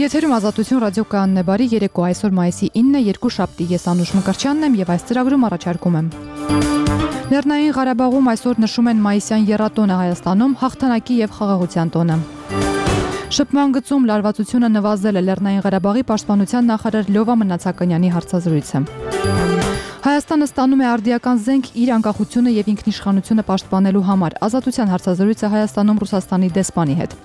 Եթերում ազատություն ռադիոկայանն է, բարի երեկո, այսօր մայիսի 9-ը, երկուշաբթի, ես Անուշ Մկրտչյանն եմ եւ այս ծրագրում առաջարկում եմ։ Լեռնային Ղարաբաղում այսօր նշում են մայիսյան եռատոնը, Հայաստանում հաղթանակի եւ խաղաղության տոնը։ Շփման գծում լարվածությունը նվազել է, Լեռնային Ղարաբաղի պաշտպանության նախարար Լյովա Մնացականյանի հարցազրույցը։ Հայաստանը ստանում է արդիական զենք իր անկախությունը եւ ինքնիշխանությունը պաշտպանելու համար։ Ազատության հարցազրույցը Հայաստանում Ռուսաստանի դեսպանի հետ։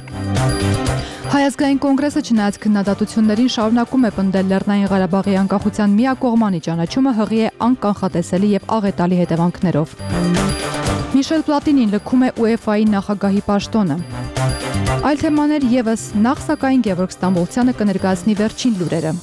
Հայազգային կոնգրեսը չնայած քննադատություններին շարունակում է պնդել Լեռնային Ղարաբաղի անկախության միակողմանի ճանաչումը հղի է անկանխատեսելի եւ աղետալի հետևանքներով։ Միշել Պլատինին լքում է UEFA-ի նախագահի պաշտոնը։ Այլ թեմաներ եւս, նախ սակայն Գևորգ Ստամբոլցյանը կներկայացնի վերջին լուրերը։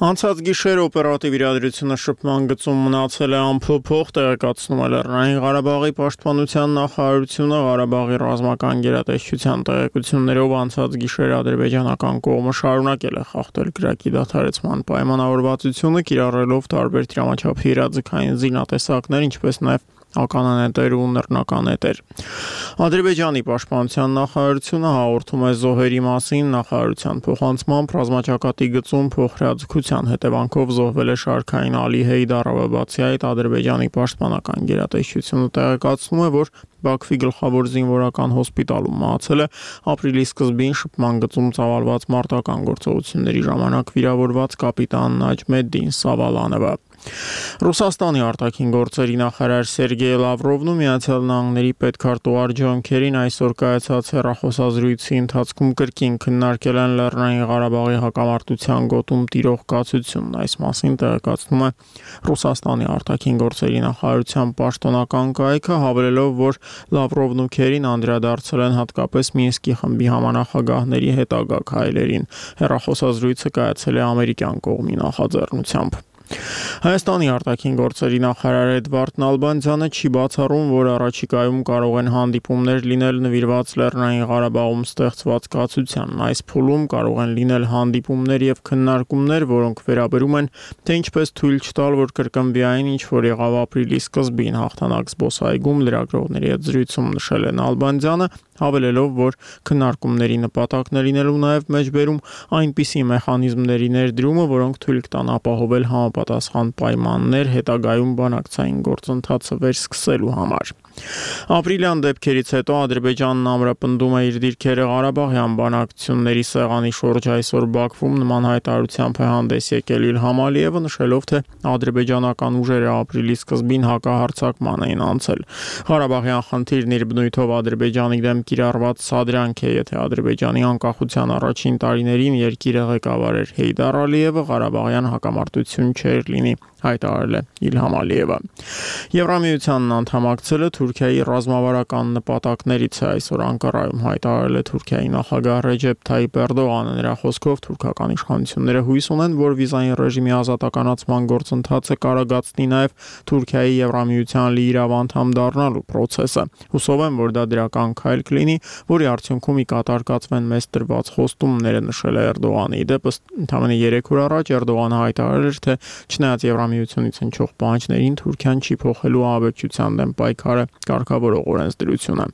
Անցած գիշեր օպերատիվ իրադրությունը շփման գծում մնացել է անփոփոխ, տեղեկացնում է Լեռնային Ղարաբաղի պաշտպանության նախարարությունը։ Ղարաբաղի ռազմական գերատեսչության տեղեկություններով անցած գիշեր ադրբեջանական կողմը շարունակել է խախտել կրակի դադարեցման պայմանավորվածությունը, կիրառելով տարբեր դրամաչափի իրազեկային զինատեսակներ, ինչպես նաև ականանետեր ու նռնականետեր։ Ադրբեջանի պաշտպանության նախարարությունը հաղորդում է զոհերի մասին։ Նախարարության փոխանցմամբ ռազմաճակատի գծում փոխհրաձգության հետևանքով զոհվել է շարքային Ալի Հեյդարովը։ Բացի այդ, Ադրբեջանի պաշտպանական գերատեսչությունը տեղեկացնում է, որ Բաքվի գլխավոր զինվորական հոսպիտալում մահացել է ապրիլի սկզբին շփման գծում ծավալված մարտական գործողությունների ժամանակ վիրավորված կապիտան Նաջմեդդին Սավալանովը։ Ռուսաստանի արտաքին գործերի նախարար Սերգեյ Լավրովն ու Միացյալ Նահանգների պետքարտուղար Ջոն Քերին այսօր կայացած հեռախոսազրույցի ընթացքում կրկին քննարկել են Լեռնային Ղարաբաղի հակամարտության գոտում տիրող կացությունն։ Այս մասին տեղեկացնում է Ռուսաստանի արտաքին գործերի նախարարության պաշտոնական կայքը, հավելելով, որ Լավրովն ու Քերին անդրադարձել են հատկապես Մինսկի խմբի համանախագահների հետագա քայլերին։ Հեռախոսազրույցը կայացել է ամերիկյան կողմի նախաձեռնությամբ։ Հայաստանի արտաքին գործերի նախարար Էդվարդ Նալբանդյանը չի բացառում, որ առաջիկայում կարող են հանդիպումներ լինել նվիրված Լեռնային Ղարաբաղում ստեղծված կացությանն։ Այս փուլում կարող են լինել հանդիպումներ եւ քննարկումներ, որոնք վերաբերում են, թե ինչպես թույլ չտալ, որ կրկնվի այն, ինչ որ եղավ ապրիլի սկզբին հաղթանակ զբոսայգում լրագրողների հետ զրույցում նշել է Նալբանդյանը, հավելելով, որ քննարկումների նպատակն է լինելու նաև մեջբերում այնպիսի մեխանիզմների ներդրումը, որոնք թույլ կտան ապահովել համապատասխան պայմաններ հետագայում բանակցային գործընթացը վերսկսելու համար։ Ապրիլյան դեպքերից հետո Ադրբեջանն ամրապնդում է իր դիրքերը Ղարաբաղյան բանակցությունների սեղանի շուրջ։ Այսօր Բաքվում նման հայտարարությամբ է հանդես եկել Իլհամ Ալիևը, նշելով, թե ադրբեջանական ուժերը ապրիլի սկզբին հակահարձակման էին անցել։ Ղարաբաղյան խնդիրն իր բնույթով Ադրբեջանի դեմ կիրառված սադրանք է, եթե Ադրբեջանի անկախության առաջին տարիներին երկիրը ղեկավարեր Հեյդար Ալիևը, Ղարաբաղյան հակամարտություն չէր լինի, հայտարարել է Իլհամ Ալիևը։ Եվրամիությանն անդամակցելը Թուրքիայի ռազմավարական նպատակներից է, այսօր Անկարայում հայտարարել է Թուրքիայի նախագահ Ռեջեփ Թայիփ Էրդողանը։ Նրա խոսքով թուրքական իշխանությունները հույս ունեն, որ վիզային ռեժիմի ազատականացման գործընթացը կարագացնի նաև Թուրքիայի Եվրամիության լիիրավ անդամ դառնալու process-ը։ Հուսով եմ, որ դա դրական քայլ կլինի, որի արդյունքում ի կատար կացվեն մեզ տրված խոստումները, նշել է Էրդողանը։ Ի դեպ, ընդամենը 3 օր առաջ Էրդողանը հայտարարել էր, թե չնայած Եվրամիությունից հնչող պահանջներին, Թուրքիան չի փոխելու ահաբեկչության դեմ պայքարը կարգավորող օրենսդրությունը։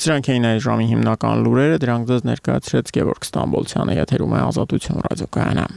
Սրանք էին այս ժամի հիմնական լուրերը, դրանք ձեզ ներկայացրեց Գևորգ Ստամբոլցյանը, եթերում է Ազատություն ռադիոկայանը։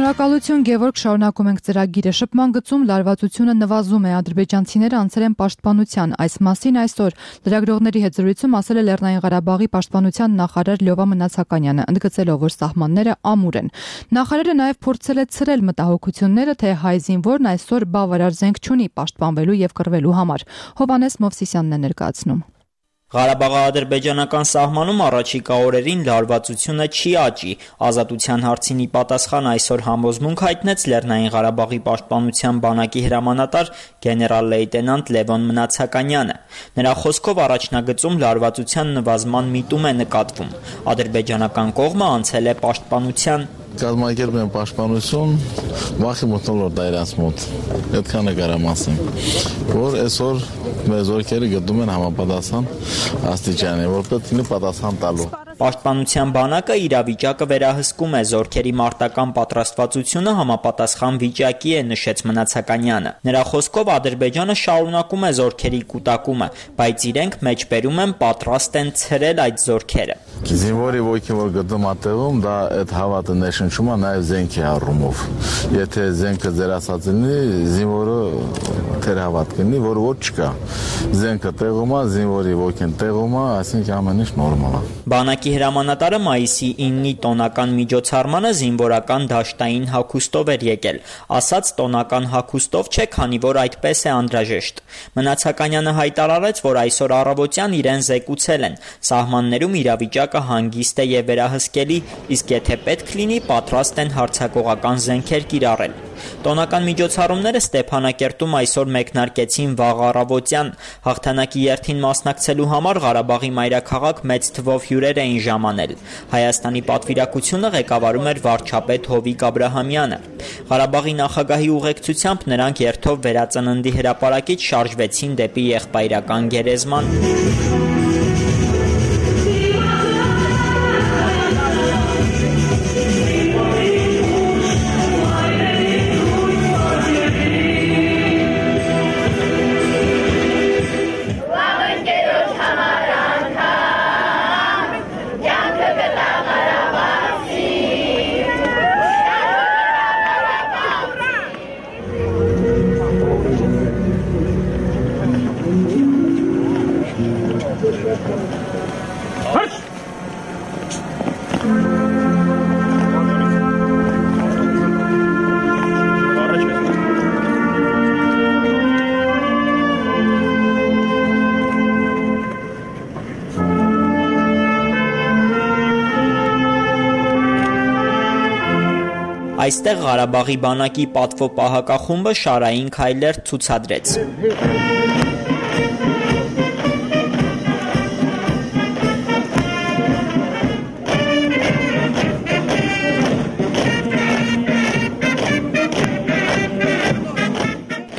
Շնորհակալություն Գևորգ, շարունակում ենք ծրագիրը։ Շփման գծում լարվածությունը նվազում է, ադրբեջանցիները անցել են պաշտպանության։ Այս մասին այսօր լրագրողների հետ զրույցում ասել է Լեռնային Ղարաբաղի պաշտպանության նախարար Լյովա Մնացականյանը, ընդգծելով, որ սահմանները ամուր են։ Նախարարը նաև փորձել է ցրել մտահոգությունները, թե հայ զինվորն այսօր բավարար զենք չունի պաշտպանվելու եւ կռվելու համար։ Հովհաննես Մովսիսյանն է ներկայացնում։ Ղարաբաղա-ադրբեջանական սահմանում առաջիկա օրերին լարվածությունը չի աճի։ Ազատության հարցին ի պատասխան այսօր համոզմունք հայտնեց Լեռնային Ղարաբաղի պաշտպանության բանակի հրամանատար գեներալ-լեյտենանտ Լևոն Մնացականյանը։ Նրա խոսքով առաջնագծում լարվածության նվազման միտում է նկատվում։ Ադրբեջանական կողմը անցել է պաշտպանության։ Կազմակերպում են պաշտպանություն, վախի մտնոլորտ է իրաց մոտ, այդքան է կարամ ասեմ, որ այսօր մեր զորքերը գտնում են համապատասխան աստիճանի, որպես ինը պատասխան տալու։ Պաշտպանության բանակը իրավիճակը վերահսկում է, զորքերի մարտական պատրաստվածությունը համապատասխան վիճակի է, նշեց Մնացականյանը։ Նրա խոսքով Ադրբեջանը շարունակում է զորքերի կուտակումը, բայց իրենք մեջբերում են պատրաստ են ցրել այդ զորքերը։ Զինվորի ոգին որ գտնում ատեղում, դա այդ հավատը ներշնչում է նաև զենքի առումով։ Եթե զենքը ձերասած լինի, զինվորը թերհավատ կլինի, որ ոչ չկա։ Զենքը տեղում է, զինվորի ոգին տեղում է, այսինքն ամեն ինչ նորմալ է։ Բանակի հրամանատարը մայիսի 9-ի տոնական միջոցառմանը զինվորական դաշտային հագուստով էր եկել, ասաց տոնական հագուստով չէ, քանի որ այդպես է անհրաժեշտ։ Մնացականյանը հայտարարեց, որ այսօր առավոտյան իրեն զեկուցել են, սահմաններում իրավիճակը հանգիստ է եւ վերահսկելի, իսկ եթե պետք լինի, պատրաստ են հարձակողական զենքեր կիրառել։ Տոնական միջոցառումները Ստեփանակերտում այսօր մեկնարկեցին վաղ առավոտյան։ Հաղթանակի երթին մասնակցելու համար Ղարաբաղի մայրաքաղաք մեծ թվով հյուրեր էին ժամանել։ Հայաստանի պատվիրակությունը ղեկավարում էր վարչապետ Հովիկ Աբրահամյանը։ Ղարաբաղի նախագահի ուղեկցությամբ նրանք երթով վերածննդի հրապարակից շարժվեցին դեպի եղբայրական գերեզման։ Այստեղ Ղարաբաղի բանակի պատվո պահակախումբը շարային քայլեր ցուցադրեց։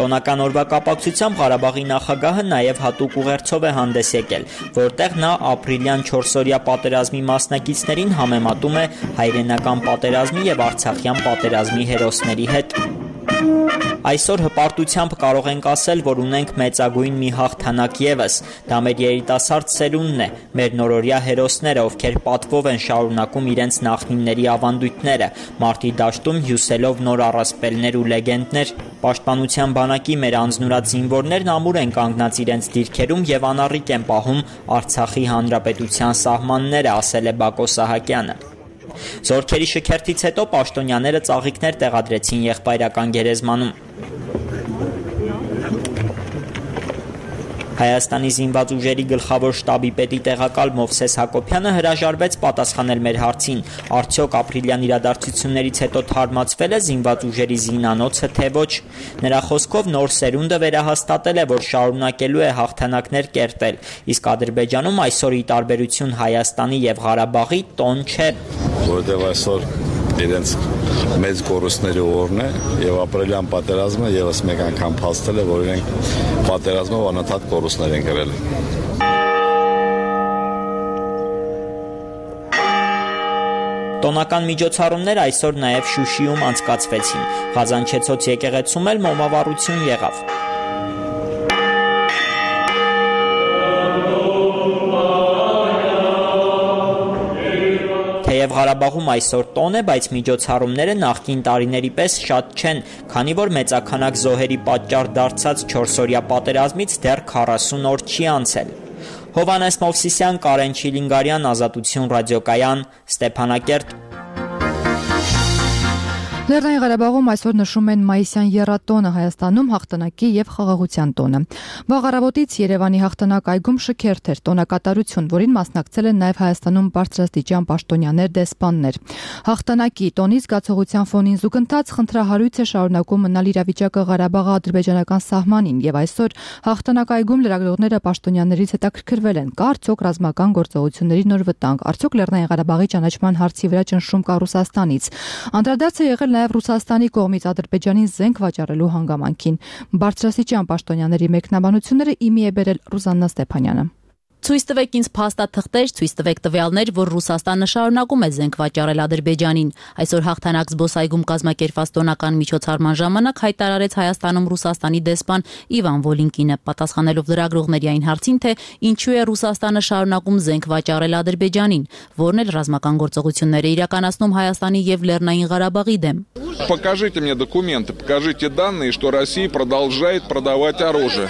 Տոնական օրվա կապակցությամբ Ղարաբաղի նախագահը նաև հատուկ ուղերձով է հանդես եկել, որտեղ նա ապրիլյան 4-օրյա պատերազմի մասնակիցներին համեմատում է հայրենական պատերազմի եւ արցախյան պատերազմի հերոսների հետ։ Այսօր հպարտությամբ կարող ենք ասել, որ ունենք մեծագույն մի հաղթանակ ևս, դա մեր երիտասարդ սերունդն է, մեր նորօրյա հերոսները, ովքեր պատվով են շարունակում իրենց նախնիների ավանդույթները, մարտի դաշտում հյուսելով նոր առասպելներ ու լեգենդներ։ Պաշտպանության բանակի մեր անձնուրաց զինվորներն ամուր են կանգնած իրենց դիրքերում եւ անառիկ են պահում Արցախի հանրապետության սահմանները, ասել է Բակո Սահակյանը։ Զորքերի շքերթից հետո պաշտոնյաները ծաղիկներ տեղադրեցին եղբայրական գերեզմանում։ Հայաստանի զինված ուժերի գլխավոր շտաբի պետի տեղակալ Մովսես Հակոբյանը հրաժարվեց պատասխանել մեր հարցին, արդյոք ապրիլյան իրադարձություններից հետո թարմացվել է զինված ուժերի զինանոցը, թե ոչ։ Նրա խոսքով նոր սերունդը վերահաստատել է, որ շարունակելու է հաղթանակներ կերտել, իսկ Ադրբեջանում այսօր ի տարբերություն Հայաստանի եւ Ղարաբաղի տոն չէ, որովհետեւ այսօր իրենց մեծ կորուստների օրն է եւ ապրիլյան պատերազմը եւս մեկ անգամ փաստել է, որ իրենք պատերազմով անընդհատ կորուստներ են կրել։ Տոնական միջոցառումներ այսօր նաև Շուշիում անցկացվեցին։ Ղազանչեցոց եկեղեցում էլ մոմավառություն եղավ։ Թեև Ղարաբաղում այսօր տոն է, բայց միջոցառումները նախկին տարիների պես շատ չեն, քանի որ մեծաքանակ զոհերի պատճառ դարձած 4-օրյա պատերազմից դեռ 40 օր չի անցել։ Հովհաննես Մովսիսյան, Կարեն Չիլինգարյան, Ազատություն ռադիոկայան, Ստեփանակերտ։ Լեռնային Ղարաբաղում այսօր նշում են մայիսյան եռատոնը, Հայաստանում հաղթանակի եւ խաղաղության տոնը։ Վաղ առավոտից Երևանի հաղթանակ այգում շքերթ էր, տոնակատարություն, որին մասնակցել են նաեւ Հայաստանում բարձրաստիճան պաշտոնյաներ, դեսպաններ։ Հաղթանակի տոնի զգացողության ֆոնին զուգընթաց խնդրահարույց է շարունակում մնալ իրավիճակը Ղարաբաղի-ադրբեջանական սահմանին եւ այսօր հաղթանակ այգում լրագրողները պաշտոնյաներից հետաքրքրվել են, կա արդյոք ռազմական գործողությունների նոր վտանգ, արդյոք Լեռնային Ղարաբաղի ճանաչման հարցի վրա ճնշում կա Ռուսաստանից։ Անդրադարձ է եղել նաև Ռուսաստանի կողմից Ադրբեջանին զենք վաճառելու հանգամանքին։ Բարձրաստիճան պաշտոնյաների մեկնաբանությունները իմի է բերել Ռուզաննա Ստեփանյանը։ Ցույց տվեք ինձ փաստաթղթեր, ցույց տվեք տվյալներ, որ Ռուսաստանը շարունակում է զենք վաճառել Ադրբեջանին։ Այսօր հաղթանակ զբոսայգում կազմակերպված տոնական միջոցառման ժամանակ հայտարարեց Հայաստանում Ռուսաստանի դեսպան Իվան Վոլինկինը, պատասխանելով լրագրողների այն հարցին, թե ինչու է Ռուսաստանը շարունակում զենք վաճառել Ադրբեջանին, որն էլ ռազմական գործողություններ է իրականացնում Հայաստանի եւ Լեռնային Ղարաբաղի դեմ։ Покажите мне документы, покажите данные, что Россия продолжает продавать оружие.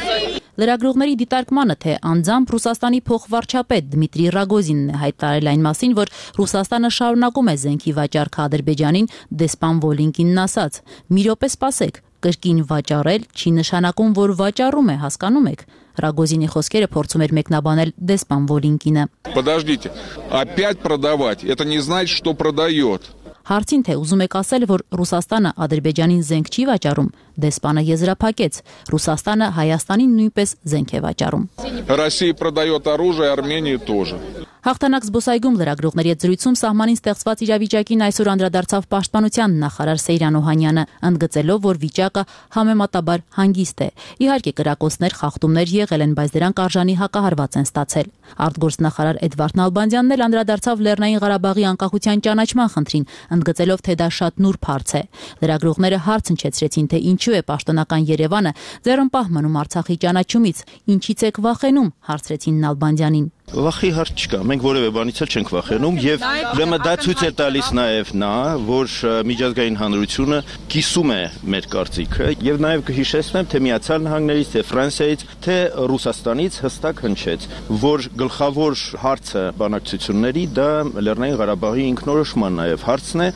Լրագրողների դիտարկմանը, թե անձամբ Ռուսաստանի փոխվարչապետ Դմիտրի Ռագոզինն է հայտարարել այն մասին, որ Ռուսաստանը շարունակում է զենքի վաճառքը Ադրբեջանին, դեսպան Վոլինկինն ասաց. «Մի րոպե սպասեք, կրկին վաճառել չի նշանակում, որ վաճառում է, հասկանում եք»։ Ռագոզինի խոսքերը փորձում էր մեկնաբանել դեսպան Վոլինկինը։ Подождите, опять продавать, это не значит, что продает. Հարցին թե ուզում եք ասել, որ Ռուսաստանը Ադրբեջանին զենք չի վաճառում, դեսպանը եզրափակեց. Ռուսաստանը Հայաստանին նույնպես զենք է վաճառում։ Россия продает оружие, Армении тоже. Հաղթանակ զբոսայգում լրագրողների հետ զրույցում սահմանին ստեղծված իրավիճակին այսօր անդրադարձավ պաշտպանության նախարար Սեյրան Օհանյանը, ընդգծելով, որ վիճակը համեմատաբար հանգիստ է։ Իհարկե կրակոցներ, խախտումներ եղել են, բայց դրանք արժանի հակահարված են ստացել։ Արտգործնախարար Էդվարդ Նալբանդյանն էլ անդրադարձավ Լեռնային Ղարաբաղի անկախության ճանաչման խնդրին, ընդգծելով, թե դա շատ նուրբ հարց է։ Լրագրողները հարց հնչեցրեցին, թե ինչու է պաշտոնական Երևանը ձեռնպահ մնում Արցախի ճանաչումից, ինչից եք վախենում, հարցրեցին Նալբանդյանին։ Վախի հարց չկա, մենք որևէ բանից էլ չենք վախենում եւ ուրեմն դա ցույց է տալիս նաեւ նա, որ միջազգային հանրությունը կիսում է մեր կարծիքը եւ նաեւ կհիշեցնեմ, թե Միացյալ Նահանգներից, թե Ֆրանսիայից, թե Ռուսաստանից հստակ հնչեց, որ գլխավոր հարցը բանակցությունների դա Լեռնային Ղարաբաղի ինքնորոշման նաեւ հարցն է։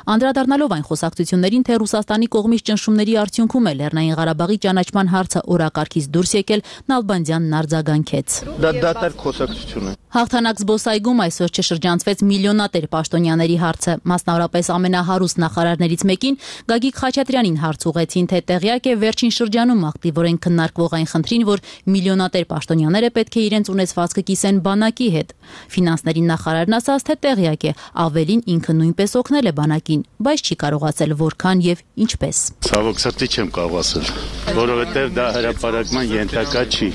Անդրադառնալով այն խոսակցություններին, թե Ռուսաստանի կողմից ճնշումների արդյունքում է Լեռնային Ղարաբաղի ճանաչման հարցը օրակարգից դուրս եկել, Նալբանդյանն արձագանքեց։ Դա դատարկ խոսակցություն է։ Հաղթանակ զբոսայգում այսօր չշրջանցվեց միլիոնատեր պաշտոնյաների հարցը, մասնավորապես ամենահարուստ նախարարներից մեկին Գագիկ Խաչատրյանին հարց ուղղեցին, թե տեղյակ է վերջին շրջանում ակտիվորեն քննարկվող այն խնդրին, որ միլիոնատեր պաշտոնյաները պետք է իրենց ունեցվածքը կիսեն բանակի հետ։ Ֆինանսների նախարարն ասաց, թե տեղյակ է, ավելին ինքը նույնպես օգնել է բանակին, բայց չի կարողացել որքան եւ ինչպես։ Ցավոք սրտի չեմ կարող ասել, որովհետեւ դա հրապարակման ենթակա չի։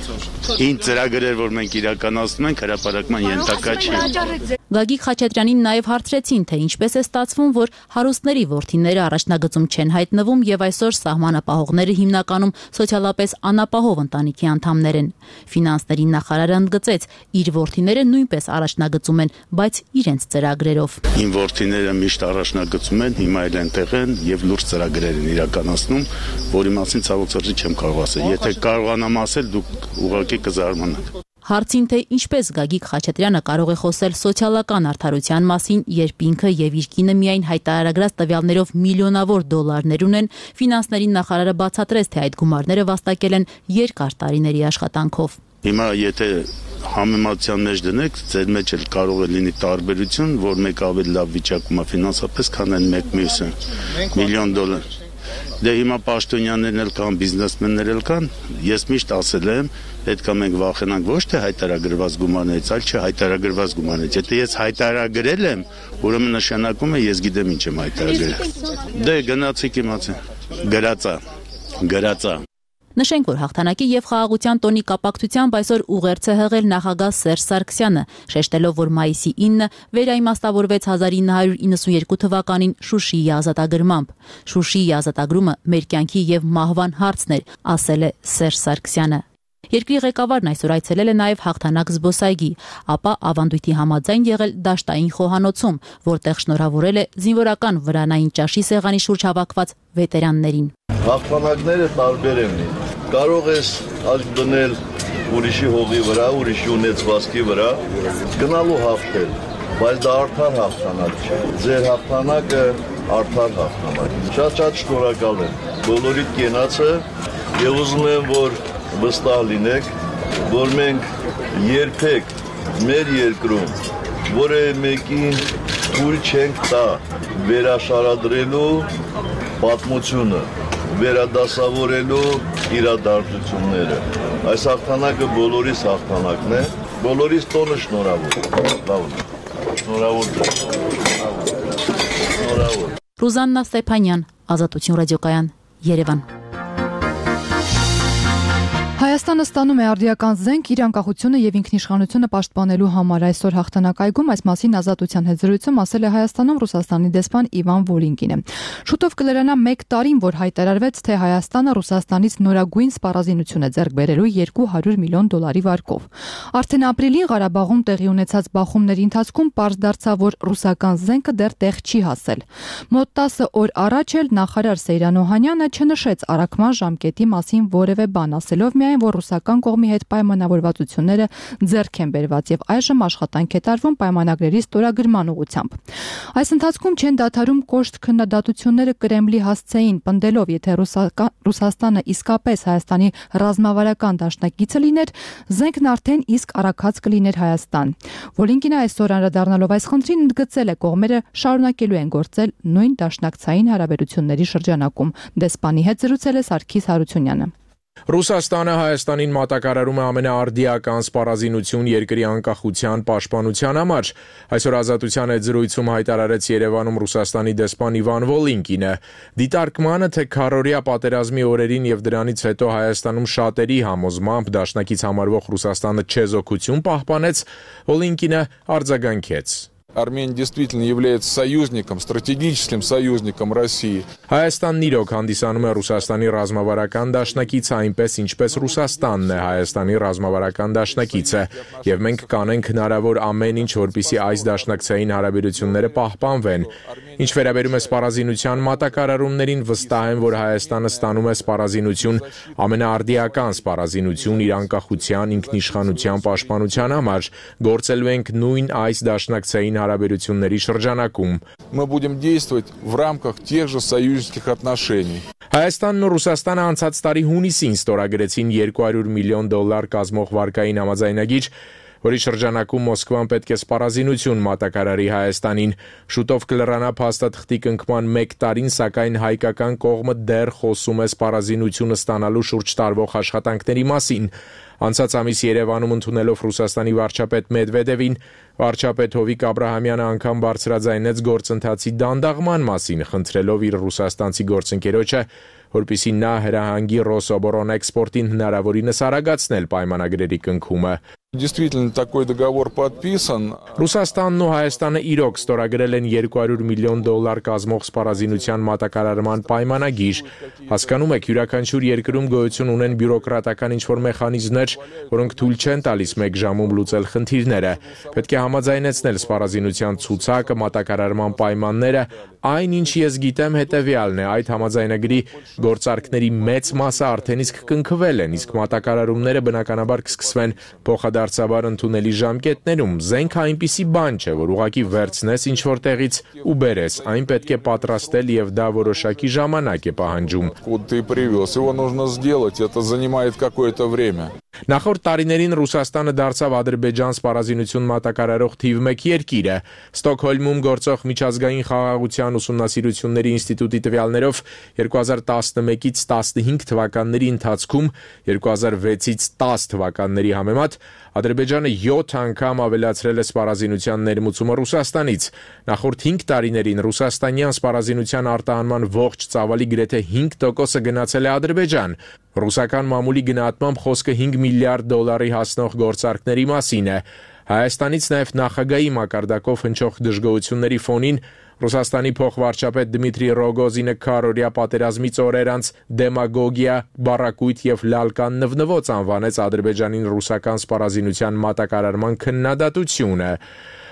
Ինչ ծրագրեր, որ մենք իրականացնում ենք, հրապարակման ենթակա չի։ Գագիկ Խաչատրյանին նաև հարցրեցին, թե ինչպես է ստացվում, որ հարուստների որդիները առաջնագծում չեն հայտնվում եւ այսօր սահմանապահողները հիմնականում սոցիալապես անապահով ընտանիքի անդամներ են։ Ֆինանսների նախարարը ընդգծեց, իր որդիները նույնպես առաջնագծում են, բայց իրենց ծրագրերով։ Իմ որդիները միշտ առաջնագծում են, հիմա էլ այնտեղ են եւ լուրջ ծրագրեր են իրականացնում, որի մասին ցավոք սրտի չեմ կարող ասել։ Եթե կարողանամ ասել, դուք ուղղակի կզարմանաք։ Հարցին, թե ինչպես Գագիկ Խաչատրյանը կարող է խոսել սոցիալական արդարության մասին, երբ ինքը եւ իր կինը միայն հայտարարագրած տվյալներով միլիոնավոր դոլարներ ունեն, ֆինանսների նախարարը բացատրեց, թե այդ գումարները վաստակել են երկար տարիների աշխատանքով։ Հիմա եթե համեմատության մեջ դնեք, ձեր մեջ էլ կարող է լինի տարբերություն, որ մեկ ավելի լավ վիճակում է ֆինանսապես, քան այն մեկ մյուսը։ միլիոն դոլար։ Դե հիմա պաշտոնյաներն էլ կան, բիզնեսմեններ էլ կան, ես միշտ ասել եմ, պետք է մենք վախենանք ոչ թե հայտարարված գումարներից, այլ չհայտարարված գումարներից։ Եթե ես հայտարարել եմ, ուրեմն նշանակում է ես գիտեմ ինչ եմ հայտարարել։ Դե գնացիք իմացա, գրածա։ Նշենք, որ հաղթանակի եւ խաղաղության տոնի կապակցությամբ այսօր ուղերձ է հղել նախագահ Սերժ Սարգսյանը, շեշտելով, որ մայիսի 9-ը վերաիմաստավորվեց 1992 թվականին Շուշիի ազատագրմամբ։ Շուշիի ազատագրումը մեր կյանքի եւ մահվան հարցն էր, ասել է Սերժ Սարգսյանը։ Երկրի ղեկավարն այսօր այցելել է նաև հաղթանակ զբոսայգի, ապա ավանդույթի համաձայն եղել դաշտային խոհանոցում, որտեղ շնորհավորել է զինվորական վրանային ճաշի սեղանի շուրջ հավաքված վետերաններին։ Հաղթանակները տարբեր են։ Կարող ես աչք դնել ուրիշի հողի վրա, ուրիշի ունեցվածքի վրա, գնալու հաղթել, բայց դա արդար հաղթանակ չէ։ Ձեր հաղթանակը արդար հաղթանակ։ Շատ շնորհակալ եմ բոլորիդ կենացը եւ ուզում եմ, որ վստահ լինեք, որ մենք երբեք մեր երկրում որևէ մեկին թույլ չենք տա վերաշարադրելու պատմությունը, վերադասավորելու իրադարձությունները։ Այս հաղթանակը բոլորիս հաղթանակն է, բոլորիս տոնը շնորհավոր։ Շնորհավոր։ Ռուզաննա Ստեփանյան, Ազատություն ռադիոկայան, Երևան։ Հայաստանը ստանում է արդիական զենք իր անկախությունը եւ ինքնիշխանությունը պաշտպանելու համար։ Այսօր հաղթանակայգում այս մասին Ազատության հետ զրույցում ասել է Հայաստանում Ռուսաստանի դեսպան Իվան Վոլինկինը։ Շուտով կլրանա 1 տարին, որ հայտարարվեց, թե Հայաստանը Ռուսաստանից նորագույն սպառազինություն է ձեռք բերելու $200 միլիոն վարկով։ Արդեն ապրիլին Ղարաբաղում տեղի ունեցած բախումների ընթացքում պարզ դարձավ, որ ռուսական զենքը դեռ տեղ չի հասել։ Մոտ 10 օր առաջ էլ նախարար Սեյրան Օհանյանը չնշեց առաքման ժամկետի մասին որևէ բան, ասելով միայն, որ ռուսական կողմի հետ պայմանավորվածությունները ձեռք են բերված եւ այժմ աշխատանք է տարվում պայմանագրերի ստորագրման ուղղությամբ։ Այս ընթացքում չեն դադարում կոշտ քննադատությունները Կրեմլի հասցեին, պնդելով, եթե Ռուսաստանը իսկապես Հայաստանի ռազմավարական դաշնակիցը լիներ, զենքն արդեն իսկ առաքած կլիներ Հայաստան։ Վոլինկինը այսօր անդրադառնալով այս խնդրին ընդգծել է, կողմերը շարունակելու են գործել նույն դաշնակցային հարաբերությունների շրջանակում։ Դեսպանի հետ զրուցել է Սարգիս Հարությունյանը։ Ռուսաստանը Հայաստանին մատակարարում է ամենաարդիական սպառազինություն երկրի անկախության պաշտպանության համար։ Այսօր Ազատության հետ զրույցում հայտարարեց Երևանում Ռուսաստանի դեսպան Իվան Վոլինկինը։ Դիտարկմանը, թե քառօրյա պատերազմի օրերին եւ դրանից հետո Հայաստանում շատերի համոզմամբ դաշնակից համարվող Ռուսաստանը չեզոքություն պահպանեց, Վոլինկինը արձագանքեց. Армения действительно является союзником, стратегическим союзником России. Հայաստանն իրոք հանդիսանում է Ռուսաստանի ռազմավարական դաշնակիցը, այնպես ինչպես Ռուսաստանն է Հայաստանի ռազմավարական դաշնակիցը, եւ մենք կանենք հնարավոր ամեն ինչ, որպեսզի այս դաշնակցային հարաբերությունները պահպանվեն։ Ինչ վերաբերում է սպառազինության մատակարարումներին, վստահ եմ, որ Հայաստանը ստանում է սպառազինություն, ամենաարդիական սպառազինություն իր անկախության, ինքնիշխանության պաշտպանության համար, գործելու ենք նույն այս դաշնակցային հարաբերությունների շրջանակում։ Мы будем действовать в рамках тех же союзнических отношений. Հայաստանն ու Ռուսաստանը անցած տարի հունիսին ստորագրեցին $200 միլիոն կազմող վարկային համաձայնագիր, որի շրջանակում Մոսկվան պետք է սպառազինություն մատակարարի Հայաստանին։ Շուտով կլրանա փաստաթղթի կնքման 1 տարին, սակայն հայկական կողմը դեռ խոսում է սպառազինությունը ստանալու շուրջ տարվող աշխատանքների մասին։ Անցած ամիս Երևանում ընդունելով Ռուսաստանի վարչապետ Մեդվեդևին, վարչապետ Հովիկ Աբրահամյանը անգամ բարձրաձայնեց գործընթացի դանդաղման մասին, խնդրելով իր ռուսաստանցի գործընկերոջը, որպեսզի նա հրահանգի Ռոսոբորոն էքսպորտին հնարավորինս արագացնել պայմանագրերի կնքումը։ Действительно, такой договор подписан. Ռուսաստանն ու Հայաստանը իրոք ստորագրել են $200 միլիոն կազմող սպառազինության մատակարարման պայմանագիր։ Հասկանում եք, յուրաքանչյուր երկրում գոյություն ունեն բյուրոկրատական ինչ-որ մեխանիզմներ, որոնք թույլ չեն տալիս 1 ժամում լուծել խնդիրները։ Պետք է համաձայնեցնել սպառազինության ցուցակը, մատակարարման պայմանները։ Այն, ինչ ես գիտեմ, հետևյալն է. այդ համաձայնագրի գործարքների մեծ մասը արդեն իսկ կնքվել են, իսկ մատակարարումները բնականաբար կսկսվեն փոխադարձաբար ընդունելի ժամկետներում։ Զենքը այնպիսի բան չէ, որ ուղղակի վերցնես ինչ-որ տեղից ու բերես, այն պետք է պատրաստել եւ դա որոշակի ժամանակ է պահանջում։ Его нужно сделать, это занимает какое-то время. Նախորդ տարիներին Ռուսաստանը դարձավ Ադրբեջան սպառազինություն մատակարարող թիվ 1 երկիրը։ Ստոկհոլմում գործող միջազգային խաղաղության ուսումնասիրությունների ինստիտուտի տվյալներով 2011-ից 15 թվականների ընթացքում 2006-ից 10 թվականների համեմատ Ադրբեջանը 7 անգամ ավելացրել է սպառազինության ներմուծումը Ռուսաստանից։ Նախորդ 5 տարիներին ռուսաստանյան սպառազինության արտահանման ողջ ծավալի գրեթե 5%-ը գնացել է Ադրբեջան։ Ռուսական մամուլի գնահատմամբ խոսքը $5 միլիարդ հասնող գործարքների մասին է։ Հայաստանից նաև նախագահի մակարդակով հնչող դժգոհությունների ֆոնին Ռուսաստանի փոխվարչապետ Դմիտրի Ռոգոզինը քառօրյա պատերազմից օրեր անց դեմագոգիա, բառակույտ եւ լալկան նվնվոց անվանեց Ադրբեջանին ռուսական սպառազինության մատակարարման քննադատությունը։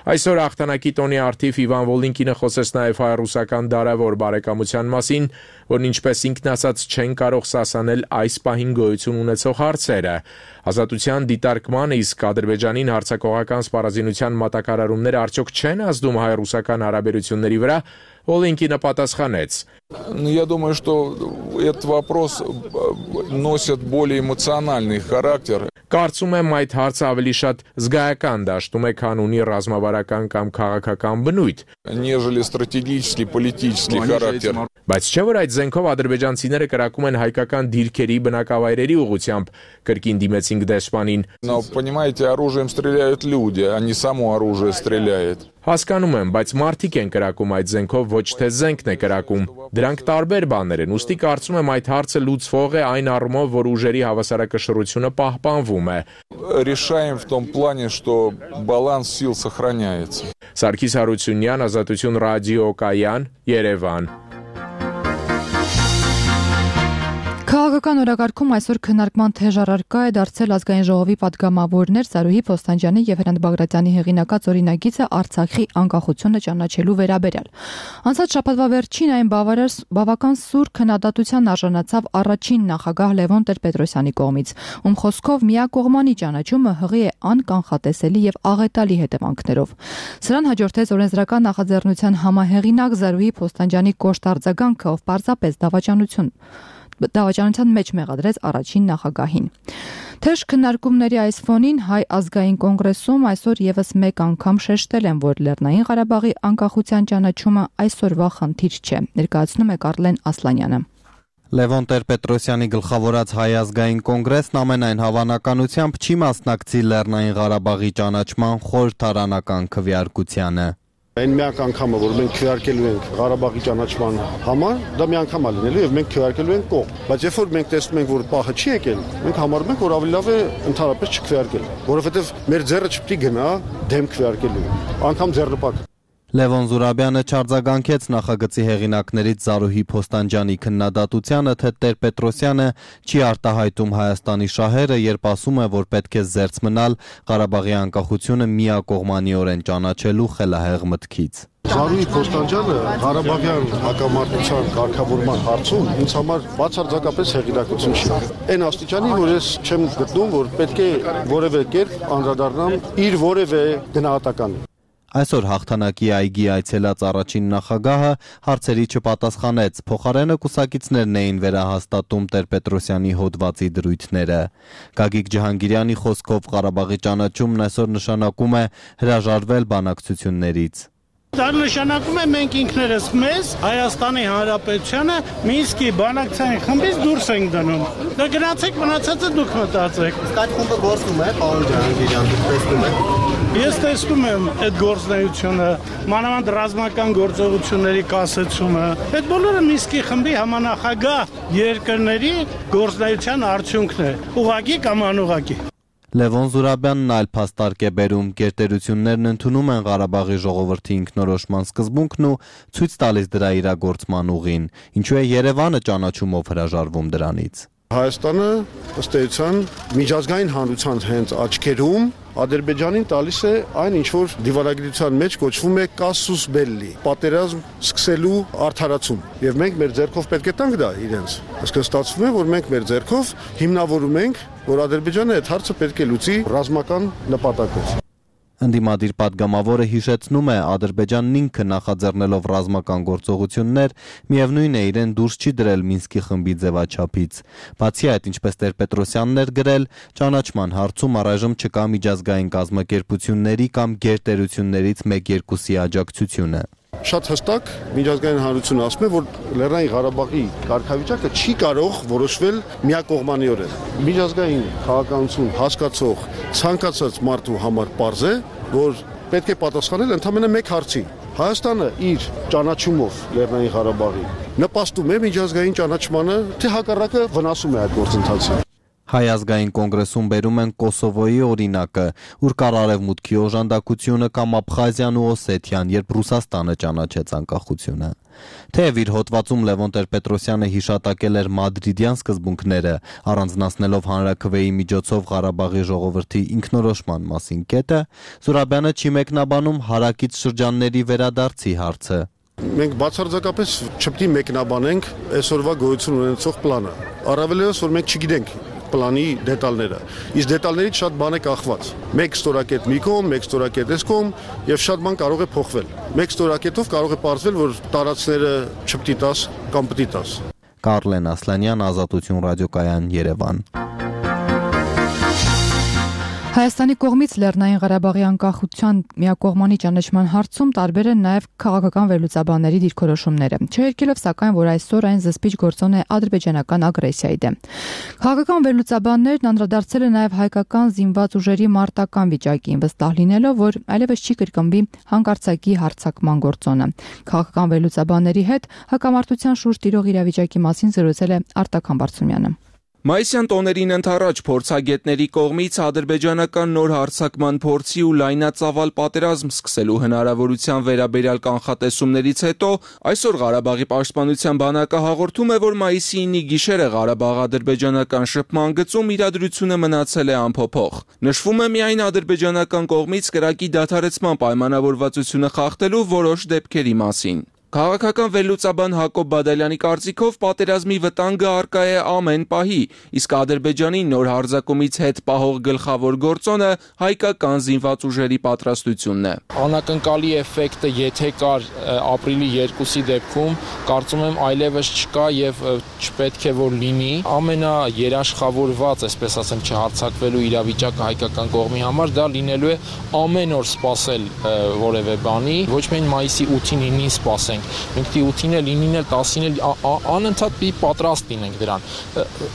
Այսօր հաղթանակի տոնի առթիվ Իվան Վոլինկինը խոսեց նաև հայ-ռուսական դարավոր բարեկամության մասին, որն ինչպես ինքն ասաց չեն կարող սասանել այս պահին գոյություն ունեցող հարցերը։ Ազատության դիտարկմանը իսկ Ադրբեջանին հարձակողական սպառազինության մատակարարումները արդյոք չեն ազդում հայ-ռուսական հարաբերությունների վրա, Վոլինկինը պատասխանեց. Я думаю, что этот вопрос носит более эмоциональный характер. Կարծում եմ այդ հարցը ավելի շատ զգայական դաշտում է, քան ունի ռազմավարական կամ քաղաքական բնույթ, нежели стратегический политический характер. Բայց չէ՞ որ այդ զենքով ադրբեջանցիները կրակում են հայկական դիրքերի բնակավայրերի ուղղությամբ, կրկին դիմեցինք դեսպանին։ Но понимаете, оружием стреляют люди, а не само оружие стреляет. Հասկանում եմ, բայց մարդիկ են կրակում այդ զենքով, ոչ թե զենքն է կրակում։ Դրանք տարբեր բաներ են, ուստի կարծում եմ այդ հարցը լուծվող է այն առումով, որ ուժերի հավասարակշռությունը պահպանվում է։ Решаем в том плане, что баланс сил сохраняется. Սարգիս Հարությունյան, Ազատություն ռադիոկայան, Երևան։ Քաղաքական օրակարգում այսօր քննարկման թեժ առարկա է դարձել ազգային ժողովի падգամավորներ Սարուհի Փոստանջյանի եւ Հրանտ Բագրատյանի հեղինակած օրինագիծը Արցախի անկախությունը ճանաչելու վերաբերյալ։ Անցած շաբաթվա վերջին այն բավական սուր քննադատության արժանացավ առաջին նախագահ Լևոն Տեր-Պետրոսյանի կողմից, ում խոսքով միակողմանի ճանաչումը հղի է անկանխատեսելի եւ աղետալի հետևանքներով։ Սրան հաջորդեց օրենսդրական նախաձեռնության համահեղինակ Սարուհի Փոստանջյանի կոշտ արձագանքը, ով պարզապես դավաճանության մեջ մեղադրեց առաջին նախագահին։ Թեժ քննարկումների այս ֆոնին Հայ ազգային կոնգրեսում այսօր եւս մեկ անգամ շեշտել են, որ Լեռնային Ղարաբաղի անկախության ճանաչումը այսօրվա խնդիր չէ, ներկայացնում է Կարլեն Ասլանյանը։ Լևոն Տեր-Պետրոսյանի գլխավորած Հայ ազգային կոնգրեսն ամենայն հավանականությամբ չի մասնակցի Լեռնային Ղարաբաղի ճանաչման խորհրդարանական քվեարկությանը։ Այն միակ անգամը, որ մենք քվեարկելու ենք Ղարաբաղի ճանաչման համար, դա մի անգամ է լինելու եւ մենք քվեարկելու ենք կողմ։ Բայց երբ որ մենք տեսնում ենք, որ պահը չի եկել, մենք համարում ենք, որ ավելի լավ է ընդհանրապես չքվեարկել, որովհետեւ մեր ձեռը չպետք է գնա դեմ քվեարկելու, անգամ ձեռնպատ։ Լևոն Զուրաբյանը չարձագանքեց նախագծի հեղինակներից Զարուհի Փոստանջյանի քննադատությանը, թե Տեր-Պետրոսյանը չի արտահայտում Հայաստանի շահերը, երբ ասում է, որ պետք է զերծ մնալ Ղարաբաղի անկախությունը միակողմանիորեն ճանաչելու խելահեղ մտքից։ Զարուհի Փոստանջյանը Ղարաբաղյան հակամարտության կարգավորման հարցում ինձ համար բացարձակապես հեղինակություն չի։ Այն աստիճանի, որ ես չեմ գտնում, որ պետք է որևէ կերպ անդրադառնամ իր որևէ գնահատականի։ Այսօր հաղթանակի այգի այցելած առաջին նախագահը հարցերի չպատասխանեց, փոխարենը կուսակիցներն էին վերահաստատում Տեր-Պետրոսյանի հոդվածի դրույթները։ Գագիկ Ջհանգիրյանի խոսքով Ղարաբաղի ճանաչումն այսօր նշանակում է հրաժարվել բանակցություններից։ Դա նշանակում է մենք ինքներս մեզ Հայաստանի Հանրապետությանը Մինսկի բանակցային խմբից դուրս ենք դնում։ Դա գնացեք մնացածը դուք մտածեք։ Իսկ այդ խումբը գործում է, պարոն Ջհանգիրյան, դուք տեսնում եք։ Ես տեսնում եմ այդ գործունեությունը, մանավանդ ռազմական գործողությունների կասեցումը։ Այդ բոլորը Մինսկի խմբի համանախագահ երկրների գործունեության արդյունքն է, ուղղակի կամ անուղղակի։ Լևոն Զուրաբյանն այլ փաստարկ է բերում, գերտերություններն ընդունում են Ղարաբաղի ժողովրդի ինքնորոշման սկզբունքն ու ցույց տալիս դրա իրագործման ուղին, ինչու է Երևանը ճանաչումով հրաժարվում դրանից։ Հայաստանը ըստ էության միջազգային հանրության հենց աչքերում Ադրբեջանին տալիս է այն, ինչ որ դիվանագիտության մեջ կոչվում է կասուս բելլի, պատերազմ սկսելու արդարացում։ Եվ մենք մեր ձեռքով պետք է տանք դա իրենց։ Այսինքն ստացվում է, որ մենք մեր ձեռքով հիմնավորում ենք, որ Ադրբեջանը այդ հարցը պետք է լուծի ռազմական նպատակով։ Ընդդիմադիր падգամավորը հիշեցնում է, Ադրբեջանն ինքը նախաձեռնելով ռազմական գործողություններ, միևնույն է իրեն դուրս չի դրել Մինսկի խմբի ձևաչափից։ Բացի այդ, ինչպես Տեր-Պետրոսյանն էր գրել, ճանաչման հարցում առայժմ չկա միջազգային կազմակերպությունների կամ գերտերություններից 1-2-ի աջակցությունը։ Շատ հստակ միջազգային հանրությունը ասում է, որ Լեռնային Ղարաբաղի կարգավիճակը չի կարող որոշվել միակողմանիորեն։ Միջազգային քաղաքականություն հասկացող ցանկացած մարդու համար պարզ է, որ պետք է պատասխանել ընդամենը մեկ հարցի։ Հայաստանը իր ճանաչումով Լեռնային Ղարաբաղի նպաստում է միջազգային ճանաչմանը, թե հակառակը վնասում է այդ գործընթացին։ Հայ ազգային կոնգրեսում բերում են Կոսովոյի օրինակը, ուր կար Արևմուտքի օժանդակությունը կամ Աբխազիան ու Օսեթիան, երբ Ռուսաստանը ճանաչեց անկախությունը։ Թեև իր հոդվածում Լևոն Տեր-Պետրոսյանը հիշատակել էր մադրիդյան սկզբունքները, առանձնացնելով հանրաքվեի միջոցով Ղարաբաղի ժողովրդի ինքնորոշման մասին կետը, Զուրաբյանը չի մեկնաբանում հարակից շրջանների վերադարձի հարցը։ Մենք բացարձակապես չպետք է մեկնաբանենք այսօրվա գոյություն ունեցող պլանը։ Առավելևս, որ մենք չգիտենք պլանի դետալները։ Իսկ դետալներից շատ բան է կախված։ Մեկ ստորակետ մի կողմ, մեկ ստորակետ այս կողմ եւ շատ բան կարող է փոխվել։ Մեկ ստորակետով կարող է պարզվել, որ տարածքները չպետք է տաս կամ պետք է տաս։ Կարլեն Ասլանյան, Ազատություն ռադիոկայան, Երևան։ Հայաստանի կողմից Լեռնային Ղարաբաղի անկախության միակողմանի ճանաչման հարցում տարբեր են նաև քաղաքական վերլուծաբանների դիրքորոշումները, չհերքելով սակայն, որ այսօր այն զսպիչ գործոն է ադրբեջանական ագրեսիայի դեմ։ Քաղաքական վերլուծաբաններն անդրադարձել են նաև հայկական զինված ուժերի մարտական վիճակին, վստահ լինելով, որ այլևս չի կրկնվի հանկարծակի հարձակման գործոնը։ Քաղաքական վերլուծաբանների հետ հակամարտության շուրջ տիրող իրավիճակի մասին զրուցել է Արտակ Համբարձումյանը։ Մայիսյան տոներին ընդառաջ փորձագետների կողմից ադրբեջանական նոր հարձակման փորձի ու լայնածավալ պատերազմ սկսելու հնարավորության վերաբերյալ կանխատեսումներից հետո այսօր Ղարաբաղի պաշտպանության բանակը հաղորդում է, որ մայիսի 9-ի գիշերը Ղարաբաղ-ադրբեջանական շփման գծում իրադրությունը մնացել է անփոփոխ։ Նշվում է միայն ադրբեջանական կողմից կրակի դադարեցման պայմանավորվածությունը խախտելու որոշ դեպքերի մասին։ Քաղաքական վերլուծաբան Հակոբ Բադալյանի կարծիքով պատերազմի վտանգը առկա է ամեն պահի, իսկ Ադրբեջանի նոր հարձակումից հետ պահող գլխավոր գործոնը հայկական զինված ուժերի պատրաստությունն է։ Անակնկալի էֆեկտը, եթե կար ապրիլի 2-ի դեպքում, կարծում եմ այլևս չկա եւ չպետք է որ լինի։ Ամենաերաշխավորված, այսպես ասեմ, չհարձակվելու իրավիճակը հայկական կողմի համար դա լինելու է ամեն օր սպասել որևէ բանի, ոչ միայն մայիսի 8-ին 9-ին սպասենք։ Մենք դի 8-ին էլ 9-ին էլ 10-ին էլ անընդհատ պիտի պատրաստ լինենք դրան։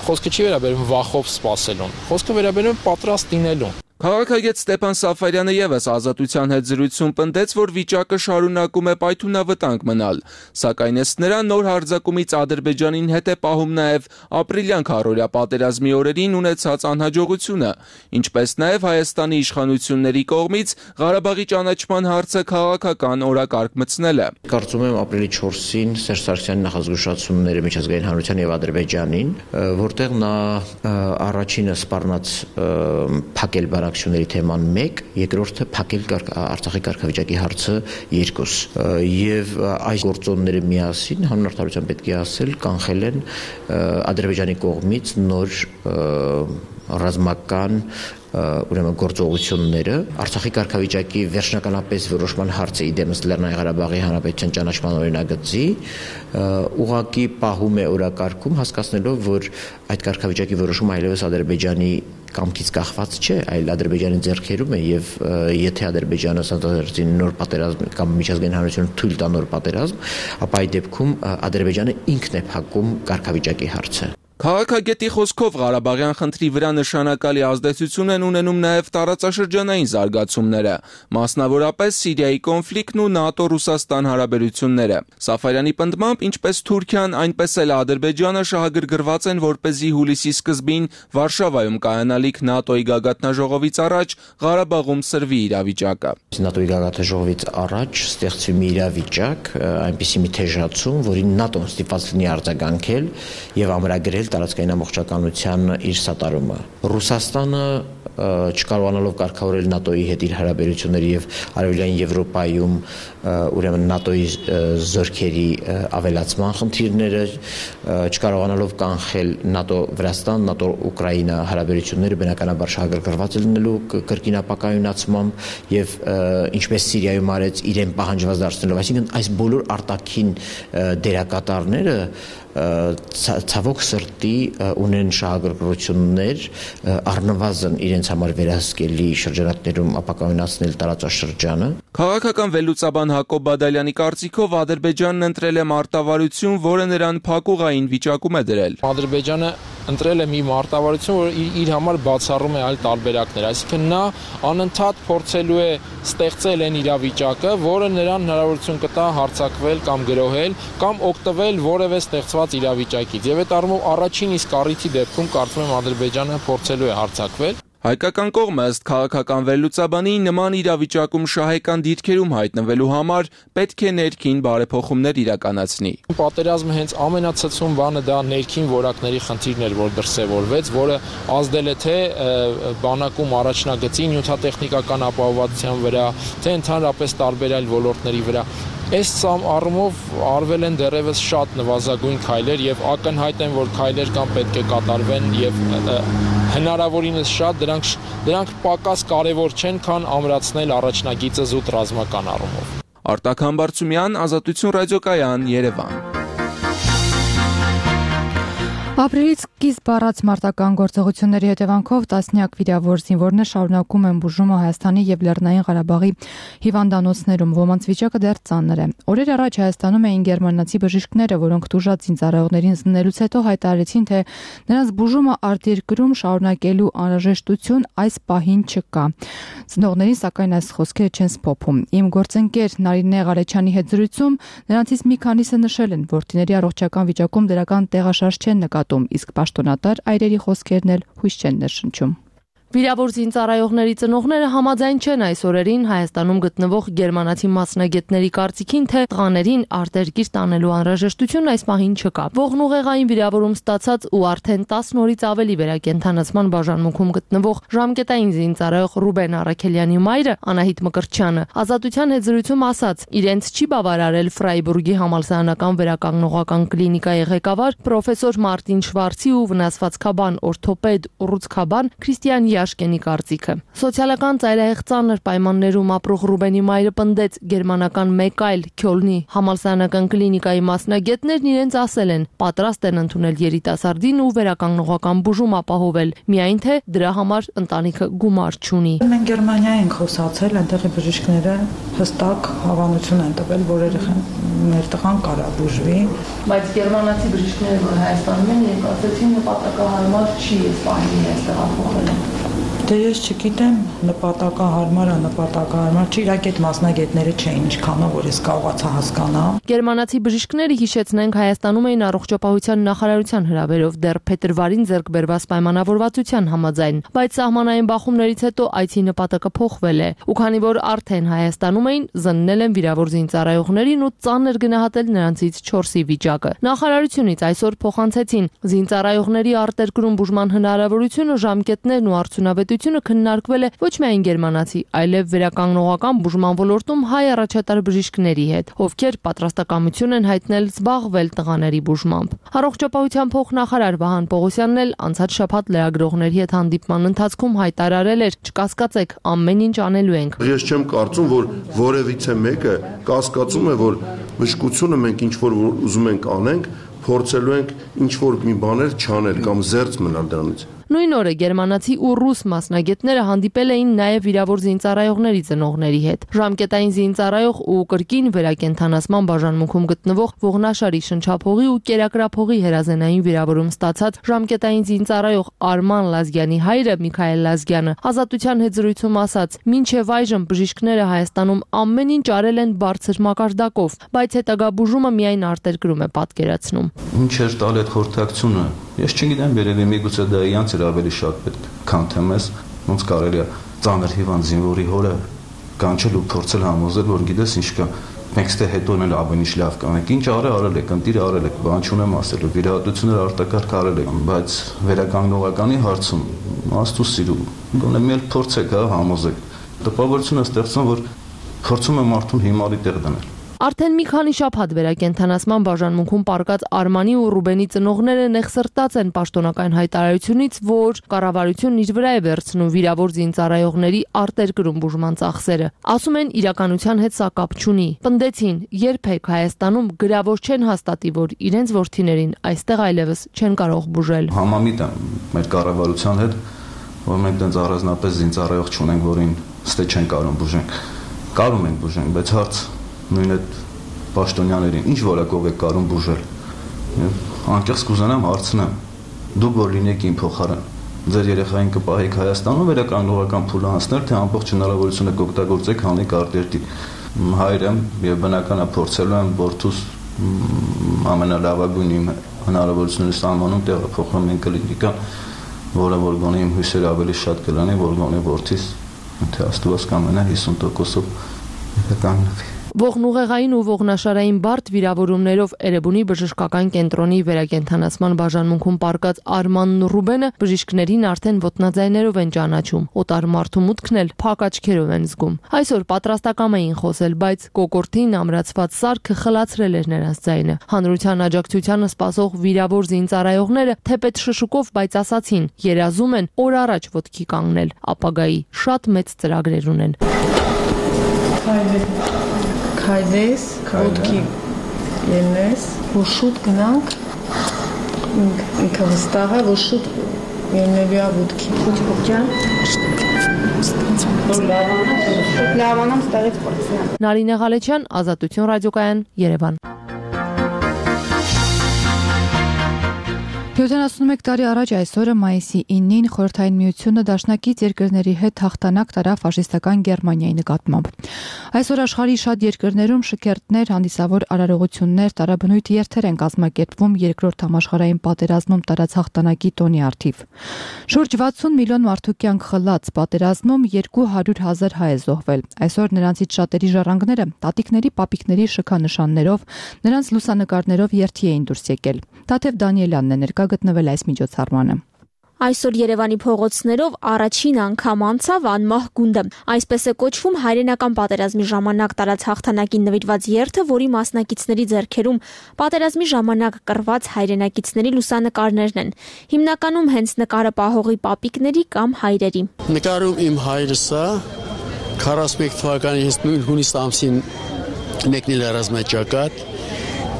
Խոսքը չի վերաբերում վախով սպասելուն, խոսքը վերաբերում է պատրաստ լինելուն։ Քաղաքագետ Ստեփան Սաֆարյանը եւս Ազատության հետ զրույցում պնդեց, որ վիճակը շարունակում է պայթունավտանգ մնալ, սակայն ըստ նրա նոր հարձակումից Ադրբեջանին հետ է պահում նաեւ ապրիլյան քառօրյա պատերազմի օրերին ունեցած անհաջողությունը, ինչպես նաեւ Հայաստանի իշխանությունների կողմից Ղարաբաղի ճանաչման հարցը քաղաքական օրակարգ մտցնելը։ Կարծում եմ ապրիլի 4-ին Սերժ Սարգսյանի նախազգուշացումները միջազգային հանրության եւ Ադրբեջանին, որտեղ նա առաջինը սպառնաց փակել բարակցությունների թեման 1, երկրորդը փակել Արցախի կարգավիճակի հարցը 2 եւ այս գործոնները միասին հանուն արդարության պետք է ասել կանխել են Ադրբեջանի կողմից նոր ռազմական ուրեմն գործողությունները Արցախի կարգավիճակի վերջնականապես որոշման հարցը իդեմս Լեռնային Ղարաբաղի Հանրապետության ճանաչման օրինագծի ուղղակի պահում է օրակարգում հասկացնելով որ այդ կարգավիճակի որոշումը այլևս Ադրբեջանի կամքից կախված չէ, այլ Ադրբեջանի ձեռքերում է եւ եթե Ադրբեջանը սանձազերծի նոր պատերազմ կամ միջազգային հանրությունը թույլ տա նոր պատերազմ, ապա այդ դեպքում Ադրբեջանը ինքն է փակում կարգավիճակի հարցը։ Քաղաքագետի խոսքով Ղարաբաղյան խնդրի վրա նշանակալի ազդեցություն են ունենում նաև տարածաշրջանային զարգացումները, մասնավորապես Սիրիայի կոնֆլիկտն ու ՆԱՏՕ-Ռուսաստան հարաբերությունները։ Սաֆարյանի պնդմամբ, ինչպես Թուրքիան, այնպես էլ Ադրբեջանը շահագրգռված են, որպեսզի հուլիսի սկզբին Վարշավայում կայանալիք ՆԱՏՕ-ի գագաթնաժողովից առաջ Ղարաբաղում սրվի իրավիճակը։ ՆԱՏՕ-ի գագաթնաժողովից առաջ ստեղծվի մի իրավիճակ, այնպիսի մի թեժացում, որին ՆԱՏՕ-ն ստիպված լինի արձագանքել եւ ամրագրել տարածքային ամբողջականության իր սատարումը։ Ռուսաստանը չկարողանալով կարգավորել ՆԱՏՕ-ի հետ իր հարաբերությունները եւ Արևելյան Եվրոպայում ուրեմն ՆԱՏՕ-ի զորքերի ավելացման խնդիրները, չկարողանալով կանխել ՆԱՏՕ-Վրաստան, ՆԱՏՕ-Ուկրաինա հարաբերությունները բնականաբար շահագրգռված լինելու կրկին ապակայունացմամբ եւ ինչպես Սիրիայում արեց իրեն պահանջված դարձնելով, այսինքն այս բոլոր արտաքին դերակատարները ցավոք սրտի ունեն շահագրգռություններ առնվազն իրենց համար վերահսկելի շրջանակներում ապակայունացնել տարածաշրջանը։ Քաղաքական վերլուծաբան Հակոբ Բադալյանի կարծիքով Ադրբեջանն ընտրել է մարտավարություն, որը նրան փակուղային վիճակում է դրել։ Ադրբեջանը ընտրել է մի մարտավարություն, որը իր համար բացառում է այլ տարբերակներ, այսինքն նա անընդհատ փորձելու է ստեղծել այն իրավիճակը, որը նրան հնարավորություն կտա հարձակվել կամ գրոհել կամ օգտվել որևէ ստեղծված իրավիճակից։ Եվ այդ առումով առաջին իսկ առիթի դեպքում կարծում եմ Ադրբեջանը փորձելու է հարձակվել։ Հայկական կողմը ըստ քաղաքական վերլուծաբանի նման իրավիճակում շահեկան դիրքերում հայտնվելու համար պետք է ներքին բարեփոխումներ իրականացնի։ Պատերազմը հենց ամենացցում բանը դա ներքին որակների խնդիրն էր, որ դրսևորվեց, որը ազդել է թե բանակում առաջնագծի նյութատեխնիկական ապահովվածության վրա, թե ընդհանրապես տարբեր այլ ոլորտների վրա։ Այս առումով արվել են դեռևս շատ նվազագույն քայլեր եւ ակնհայտ են, որ քայլեր կան պետք է կատարվեն եւ հնարավորինս շատ դրանք պակաս կարևոր չեն, քան ամրացնել առաջնագիծը զուտ ռազմական առումով։ Արտակ Համբարձումյան, Ազատություն ռադիոկայան, Երևան։ Ապրիլից սկիզբ առած մարտական գործողությունների հետևանքով տասնյակ վիրավոր զինվորներ շարունակում են բուժումը Հայաստանի եւ Լեռնային Ղարաբաղի հիվանդանոցներում, ոմանց վիճակը դեռ ծանր է։ Օրեր առաջ Հայաստանում էին գերմանացի բժիշկները, որոնք տուժած զինծառայողներին զննելուց հետո հայտարարեցին, թե նրանց բուժումը արտերկրում շարունակելու անհրաժեշտություն այս պահին չկա։ Ծնողներին սակայն այս խոսքերը չեն սփոփում։ Իմ գործընկեր Նարինե Ղարեչյանի հետ զրույցում նրանցից մի քանիսը նշել են, որ տիների առողջական վիճակում դրական տեղաշարժ չեն նկատում, իսկ պաշտոնատար այրերի խոսքերն էլ հույս չեն ներշնչում։ Վիրավոր զինծառայողների ծնողները համաձայն չեն այս օրերին Հայաստանում գտնվող գերմանացի մասնագետների կարծիքին, թե տղաներին արտերկիր տանելու անհրաժեշտություն այս պահին չկա։ Ողնուղեղային վիրավորում ստացած ու արդեն 10 օրից ավելի վերակենդանացման բաժանմունքում գտնվող ժամկետային զինծառայող Ռուբեն Արաքելյանի մայրը Անահիտ Մկրտչյանը Ազատության հետ զրույցում ասաց, իրենց չի բավարարել Ֆրայբուրգի համալսարանական վերականգնողական կլինիկայի ղեկավար պրոֆեսոր Մարտին Շվարցի ու վնասվածքաբան օրթոպեդ Ուռուցքաբան Քրիստիան Աշկենի կարծիքը։ Սոցիալական ծայրահեղ ծանր պայմաններում ապրող Ռուբենի մայրը պնդեց գերմանական մեկ այլ Քյոլնի համալսարանական կլինիկայի մասնագետներն իրենց ասել են պատրաստ են ընդունել երիտասարդին ու վերականգնողական բուժում ապահովել, միայն թե դրա համար ընտանիքը գումար չունի։ Մենք Գերմանիա ենք խոսացել, այնտեղի բժիշկները հստակ հավանություն են տվել, որ մեր տղան կարա բուժվի, բայց գերմանացի բժիշկները, որ Հայաստանում են, իրենք ասեցին նպատակահարմար չի այս պահին այստեղ ապահովել։ Դե ես չգիտեմ, նպատակահարմար չի, իրաք այդ մասնագետները չէին ինչքանով, որ ես կարողացա հասկանամ։ Գերմանացի բժիշկները, հիշեցնենք, Հայաստանում էին առողջապահության նախարարության հրավերով դեռ փետրվարին ձեռք բերված պայմանավորվածության համաձայն, բայց սահմանային բախումներից հետո այցի նպատակը փոխվել է, ու քանի որ արդեն Հայաստանում էին, զննել են վիրավոր զինծառայողներին ու ծանր գնահատել նրանցից 4-ի վիճակը։ Նախարարությունից այսօր փոխանցեցին զինծառայողների արտերկրում բուժման հնարավորությունը, ժամկետներն ու արդյունավետությունը քննարկվել է ոչ միայն գերմանացի, այլև վերականգնողական բուժման ոլորտում հայ առաջատար բժիշկների հետ, ովքեր պատրաստակամություն են հայտնել զբաղվել տղաների բուժմամբ։ Առողջապահության փոխնախարար Վահան Պողոսյանն էլ անցած շաբաթ լրագրողների հետ հանդիպման ընթացքում հայտարարել էր. «Չկասկածեք, ամեն ինչ անելու ենք»։ Ես չեմ կարծում, որ որևիցե մեկը կասկածում է, որ բժշկությունը մենք ինչ որ ուզում ենք անենք, փորձելու ենք ինչ որ մի բաներ չանել կամ զերծ մնալ դրանից։ Նույն օրը գերմանացի ու ռուս մասնագետները հանդիպել էին նաև վիրավոր զինծառայողների ծնողների հետ։ Ժամկետային զինծառայող ու կրկին վերակենդանացման բաժանմունքում գտնվող Ողնաշարի շնչափողի ու կերակրափողի հերազենային վիրավորում ստացած ժամկետային զինծառայող Արման Լազգյանի հայրը Միքայել Լազգյանը Ազատության հետ զրույցում ասաց. «Մինչև այժմ բժիշկները Հայաստանում ամեն ինչ արել են բարձր մակարդակով, բայց հետագա բուժումը միայն արտերկրում է պատկերացնում»։ Ինչ էր տալ այդ խորհրդակցությունը։ Ես չգիտեմ, երևի միգուցե դա իրանց էր ավելի շատ պետք, քան թե մեզ, ոնց կարելի է ծանր հիվանդ զինվորի հորը կանչել ու փորձել համոզել, որ գիտես ինչ կա, մենք ստե հետո էլ ամեն ինչ լավ կանենք։ Ինչ արել եք, ընտիր արել եք, բան չունեմ ասելու, վիրահատություններ արտակարգ արել եք, բայց վերականգնողականի հարցում աստծո սիրու, գոնե մի էլ փորձեք, համոզեք։ Տպավորություն է ստեղծում, որ փորձում եմ մարդուն հիմարի տեղ դնել։ Արդեն մի քանի շաբաթ վերակենդանացման բաժանմունքում պարկած Արմանի ու Ռուբենի ծնողները նեղսրտած են պաշտոնական հայտարարությունից, որ կառավարությունն իր վրա է վերցնում վիրավոր զինծառայողների արտերկրում բուժման ծախսերը։ Ասում են իրականության հետ սա կապ չունի։ Պնդեցին, երբեք Հայաստանում գրավոր չեն հաստատի, որ իրենց որդիներին այստեղ այլևս չեն կարող բուժել։ Համամիտ եմ մեր կառավարության հետ, որ մենք դեռ առանձնապես զինծառայող չունենք, որին ստե չեն կարող բուժենք։ Կարող ենք բուժենք, բայց հարց նույն այդ պաշտոնյաներին ինչ որակով եք կարող բուժել։ Անկեղծ կուզենամ հարցնեմ, դուք որ լինեք իմ փոխարեն, ձեր երեխային կպահեք Հայաստանում վերականգնողական փուլ անցնել, թե ամբողջ հնարավորությունը կօգտագործեք հանեք արտերկիր։ Հայր եմ եւ բնականա փորձելու եմ որդուս ամենալավագույն իմ հնարավորությունների սահմանում տեղափոխել են կլինիկան, որը որ գոնե իմ հույսերը ավելի շատ կլինի, որ գոնե որդիս թե Աստված կամենա 50%-ով կանգնվի։ Ողնուղեղային ու ողնաշարային բարդ վիրավորումներով Էրեբունի բժշկական կենտրոնի վերակենդանացման բաժանմունքում պարկած Արմանն ու Ռուբենը բժիշկներին արդեն ոտնաձայներով են ճանաչում, օտար մարդու մուտքն էլ փակ աչքերով են զգում։ Այսօր պատրաստակամ էին խոսել, բայց կոկորտին ամրացված սարքը խլացրել էր նրանց ձայնը։ Հանրության աջակցությանը սպասող վիրավոր զինծառայողները թեպետ շշուկով, բայց ասացին, երազում են օր առաջ ոտքի կանգնել, ապագայի շատ մեծ ծրագրեր ունեն։ Քայլես, ոտքի ելնես, որ շուտ գնանք ինքը վստահ է, որ շուտ ելնելու է ոդքի։ Փոքջան։ Լավանամ ստեղից փորձեմ։ Նարինե Ղալեչյան, Ազատություն ռադիոկայան, Երևան։ 71 տարի առաջ այսօրը մայիսի 9-ին Խորհրդային Միությունը դաշնակից երկրների հետ հաղթանակ տարավ ֆաշիստական Գերմանիայի նկատմամբ։ Այսօր աշխարհի շատ երկրներում շքերթներ, հանդիսավոր արարողություններ, տարաբնույթ երթեր են կազմակերպվում Երկրորդ համաշխարհային պատերազմում տարած հաղթանակի տոնի առթիվ։ Շուրջ 60 միլիոն մարդու կյանք խլած պատերազմում 200,000 հայ է զոհվել։ Այսօր նրանցից շատերի ժառանգները տատիկների, պապիկների շքանշաններով, նրանց լուսանկարներով երթի էին դուրս եկել։ Տաթև Դանիելյանն է ներկա գտնվել այս միջոցառմանը։ Այսօր Երևանի փողոցներով առաջին անգամ անցավ անմահ գունդը։ Այսպես է կոչվում հայրենական պատերազմի ժամանակ տարած հաղթանակին նվիրված երթը, որի մասնակիցների ձեռքերում պատերազմի ժամանակ կռված հայրենակիցների լուսանկարներն են։ Հիմնականում հենց նկարը պահողի պապիկների կամ հայրերի։ Նկարում իմ հայրս է 41 թվականի հունիս ամսին մեկնել է ռազմաճակատ,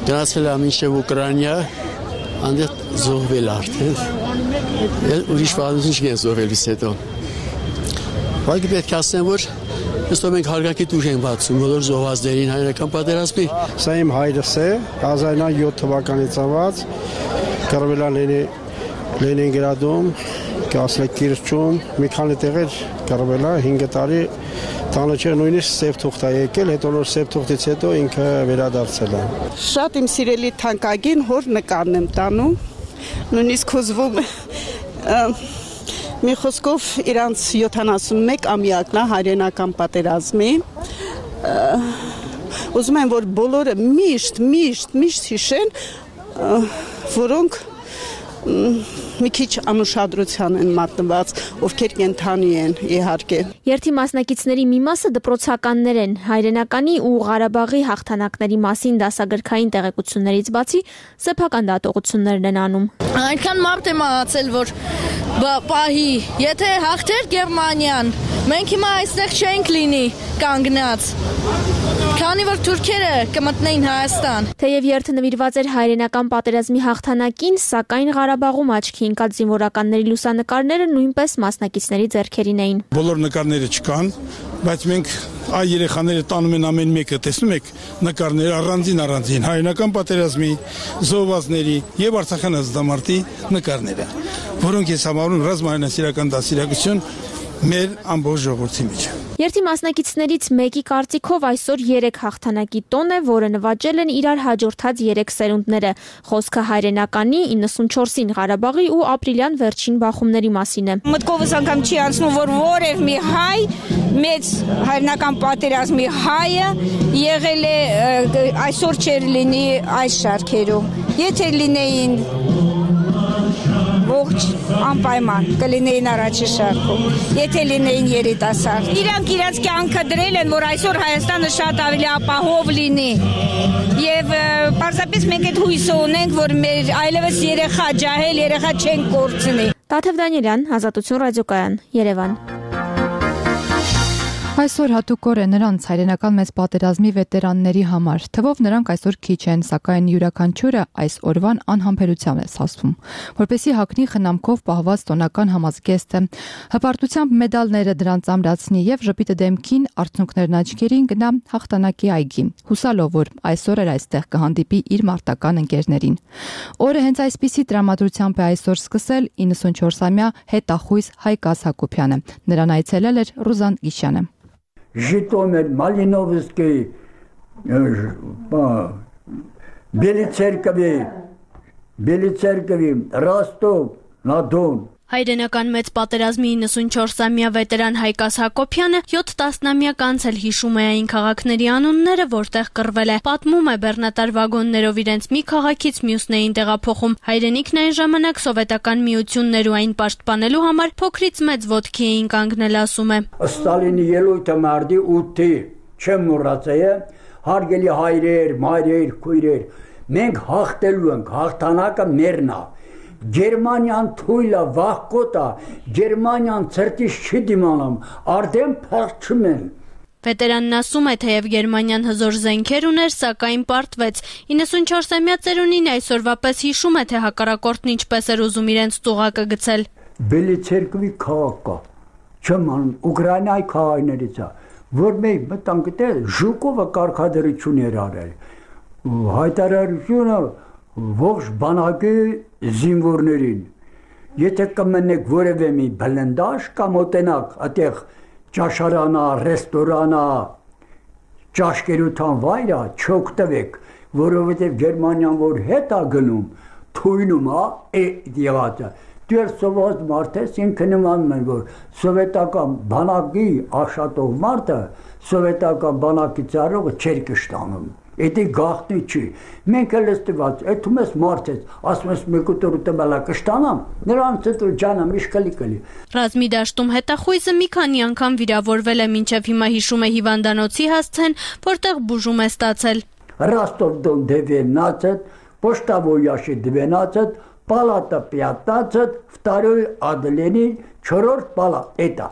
գնացել է մինչև Ուկրաինա, անդեղ զոհվել արդեն։ Ուրիշ պատմություն չկեն զոհվելուց հետո։ Բայց պետք է ասեմ, որ ըստով մենք հարգանքի տույժ ենք բացում բոլոր զոհվածներին հայրենական պատերազմի։ Սա իմ հայրս է, 1907 թվականից ծնված, կռվել է Լենինգրադում, Կասլեկիրճում, մի քանի տեղեր կռվել է 5 տարի, տանը չէ նույնիսկ սև թուղթ է եկել, հետո նոր սև թուղթից հետո ինքը վերադարձել է։ Շատ իմ սիրելի թանկագին հոր նկարն եմ տանում, նույնիսկ հուզվում մի խոսքով իրանց 71 ամյակն է հայրենական պատերազմի։ Ուզում եմ, որ բոլորը միշտ հիշեն, որոնք մի քիչ անուշադրության են մատնված, ովքեր կենթանի են իհարկե։ Երթի մասնակիցների մի մասը դպրոցականներ են, հայրենականի ու Ղարաբաղի հաղթանակների մասին դասագրքային տեղեկություններից բացի սեփական դատողություններն են անում։ Այնքան մարդ է մահացել, որ պահի, եթե հաղթեր Գերմանիան, մենք հիմա այստեղ չենք լինի կանգնած։ Քանի որ թուրքերը կմտնեին Հայաստան։ Թեև երթը նվիրված էր հայրենական պատերազմի հաղթանակին, սակայն Ղարաբաղում աչքի ընկած զինվորականների լուսանկարները նույնպես մասնակիցների ձեռքերին էին։ Բոլոր նկարները չկան, բայց մենք այ երեխաները տանում են ամեն մեկը, տեսնում եք նկարները առանձին հայրենական պատերազմի, զոհվածների եւ Արցախյան ազատամարտի նկարները, որոնք ես համարում ռազմահայրենասիրական դաստիարակություն մեր ամբողջ ժողովրդի մեջ։ Երթի մասնակիցներից մեկի կարծիքով այսօր 3 հաղթանակի տոն է, որը նվաճել են իրար հաջորդած 3 սերունդները։ Խոսքը հայրենականի 94-ին Ղարաբաղի ու ապրիլյան վերջին բախումների մասին է։ Մտքովս անգամ չի անցնում, որ որև մի հայ, մեծ հայրենական պատերազմի հայը եղել է այսօր չեր լինի այս շարքերում։ Եթե լինեին ողջ անպայման կլինեին առաջի շարքում, եթե լինեին երիտասարդ։ Իրանք իրենց կյանքը դրել են, որ այսօր Հայաստանը շատ ավելի ապահով լինի։ Եվ պարզապես մենք այդ հույսը ունենք, որ մեր այլևս երեխա ջահել, երեխա չեն կորցնի։ Տաթև Դանիելյան, Ազատություն ռադիոկայան, Երևան։ Այսօր հատուկ օր է նրանց հայրենական մեծ պատերազմի վետերանների համար։ Թվով նրանք այսօր քիչ են, սակայն յուրաքանչյուրը այս օրվան անհամբերությամբ է սասվում, որպեսզի հագնի խնամքով պահված տոնական համազգեստը, հպարտությամբ մեդալները դրանց ամրացնի եւ ժպիտը դեմքին, արցունքներն աչքերին գնա հաղթանակի այգի, հուսալով, որ այսօր էլ այստեղ կհանդիպի իր մարտական ընկերներին։ Օրը հենց այսպիսի տրամադրությամբ է այսօր սկսել 94-ամյա հետախույզ Հայկ Հակոբյանը։ Նրան այցելել էր Ռուզան Գիշյանը։ Житомир, Малиновский, Белицеркови, Ростов, на-Don։ Հայրենական մեծ պատերազմի 94-ամյա վետերան Հայկաս Հակոբյանը 7 տասնամյակ անց էլ հիշում է այն քաղաքների անունները, որտեղ կռվել է։ Պատմում է բեռնատար վագոններով իրենց մի քաղաքից մյուսներին տեղափոխում։ Հայրենիքն այն ժամանակ սովետական միություններ ու այն պաշտպանելու համար փոքրից մեծ ոտքի էին կանգնել, ասում է։ Ստալինի ելույթը մարտի 8-ի չեմ մոռացել, հարգելի հայրեր, մայրեր, քույրեր, մենք հաղթելու ենք, հաղթանակը մերն է։ Գերմանիան թույլը վախկոտ է, Գերմանիան ցրտից չի դիմանամ, արդեն փախչում են։ Վետերանն ասում է, թեև Գերմանիան հզոր զենքեր ուներ, սակայն պարտվեց։ 94-ամյա ծերունին այսօրվա պես հիշում է, թե հակառակորդն ինչպես էր ուզում իրենց ծուղակը գցել։ Բելիցերկվի քաղաք կա, չեմ անում, Ուկրաինայի քաղաքներից է, որ մենք մտանք դել Ժուկովը կարգադրություն էր արել։ Հայտարարությունը ողջ բանակի զինվորներին։ Եթե կմնեք որևէ մի բլնդաշ կամ մոտենակ, այդտեղ ճաշարանա, ռեստորանա, ճաշկերության վայրը չօգտվեք, որովհետև Գերմանիան որ հետ է գնում, թույնում է եղածը։ Դեր սովորած մարդես ինքը նմանում են, որ սովետական բանակի աշխատող մարդը սովետական բանակի ծառայողը չեր կշտանում։ Դա գաղտնի չի։ Մենք էլ ստված, այդում ես մարդես, ասում ես մեկու տորուտը բալա կշտանամ, նրանց հետո ջանամ իշկալի։ Ռազմի դաշտում հետախույզը մի քանի անգամ վիրավորվել է, մինչև հիմա հիշում է հիվանդանոցի հասցեն, որտեղ բուժում է ստացել։ Ռոստով-Դոն 19, Почтовоящий 12, Палата 15, второй отделение, 4 палат. Это.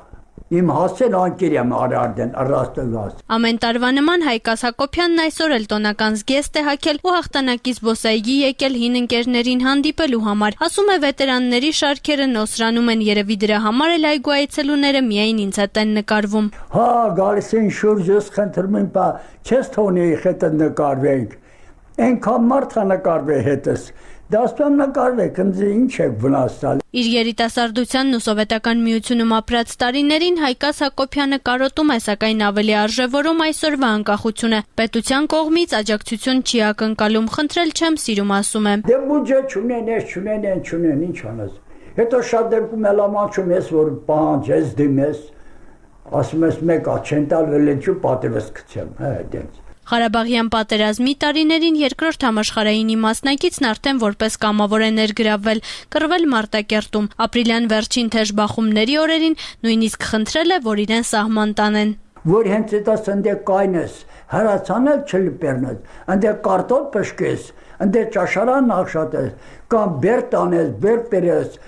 Իմ հասել անկերյամ արարդեն առաստվաս։ Ամեն տարվա նման Հայկաս Հակոբյանն այսօր էլ տոնական զգեստ է հագել ու հաղթանակից զբոսայգի եկել հին ընկերներին հանդիպելու համար։ Ասում է վետերանների շարքերը նոսրանում են, երևի դրա համար էլ այգու այցելուները միայն ինձ հետ են նկարվում։ Հա, գալիս են շուրջս խնդրում են, բա չես թողնի հետը նկարվենք։ Այնքան մարդ է նկարվի հետս։ Դաստան նկարվեք, ինձ ինչ եք վնասալ։ Իր երիտասարդությանն ու սովետական միությունում ապրած տարիներին Հայկաս Հակոբյանը կարոտում է, սակայն ավելի արժևորում այսօրվա անկախությունը։ Պետության կողմից աջակցություն չի ակնկալում, խնդրել չեմ սիրում, ասում է։ Դե բյուջե չունեն, ինչ անես։ Հետո շատ դեպքում էլ ամանչում ես, որ պահանջես, դիմես, ասում ես մեկա չեն տալ, վելենչու պատևս գցեմ, դենց։ Ղարաբաղյան պատերազմի տարիներին երկրորդ համաշխարհայինի մասնակիցն արդեն որպես կամավոր է ներգրավվել, կռվել Մարտակերտում, ապրիլյան վերջին թեժ բախումների օրերին նույնիսկ խնդրել է, որ իրեն սահման տանեն։ Որ հենց դա սնդե կայնես, հրացանել չլպերնես, ընդե կարտոտ պշկես, ընդե ճաշարան նախշատես, կամ բեր տանես, բեր պերես,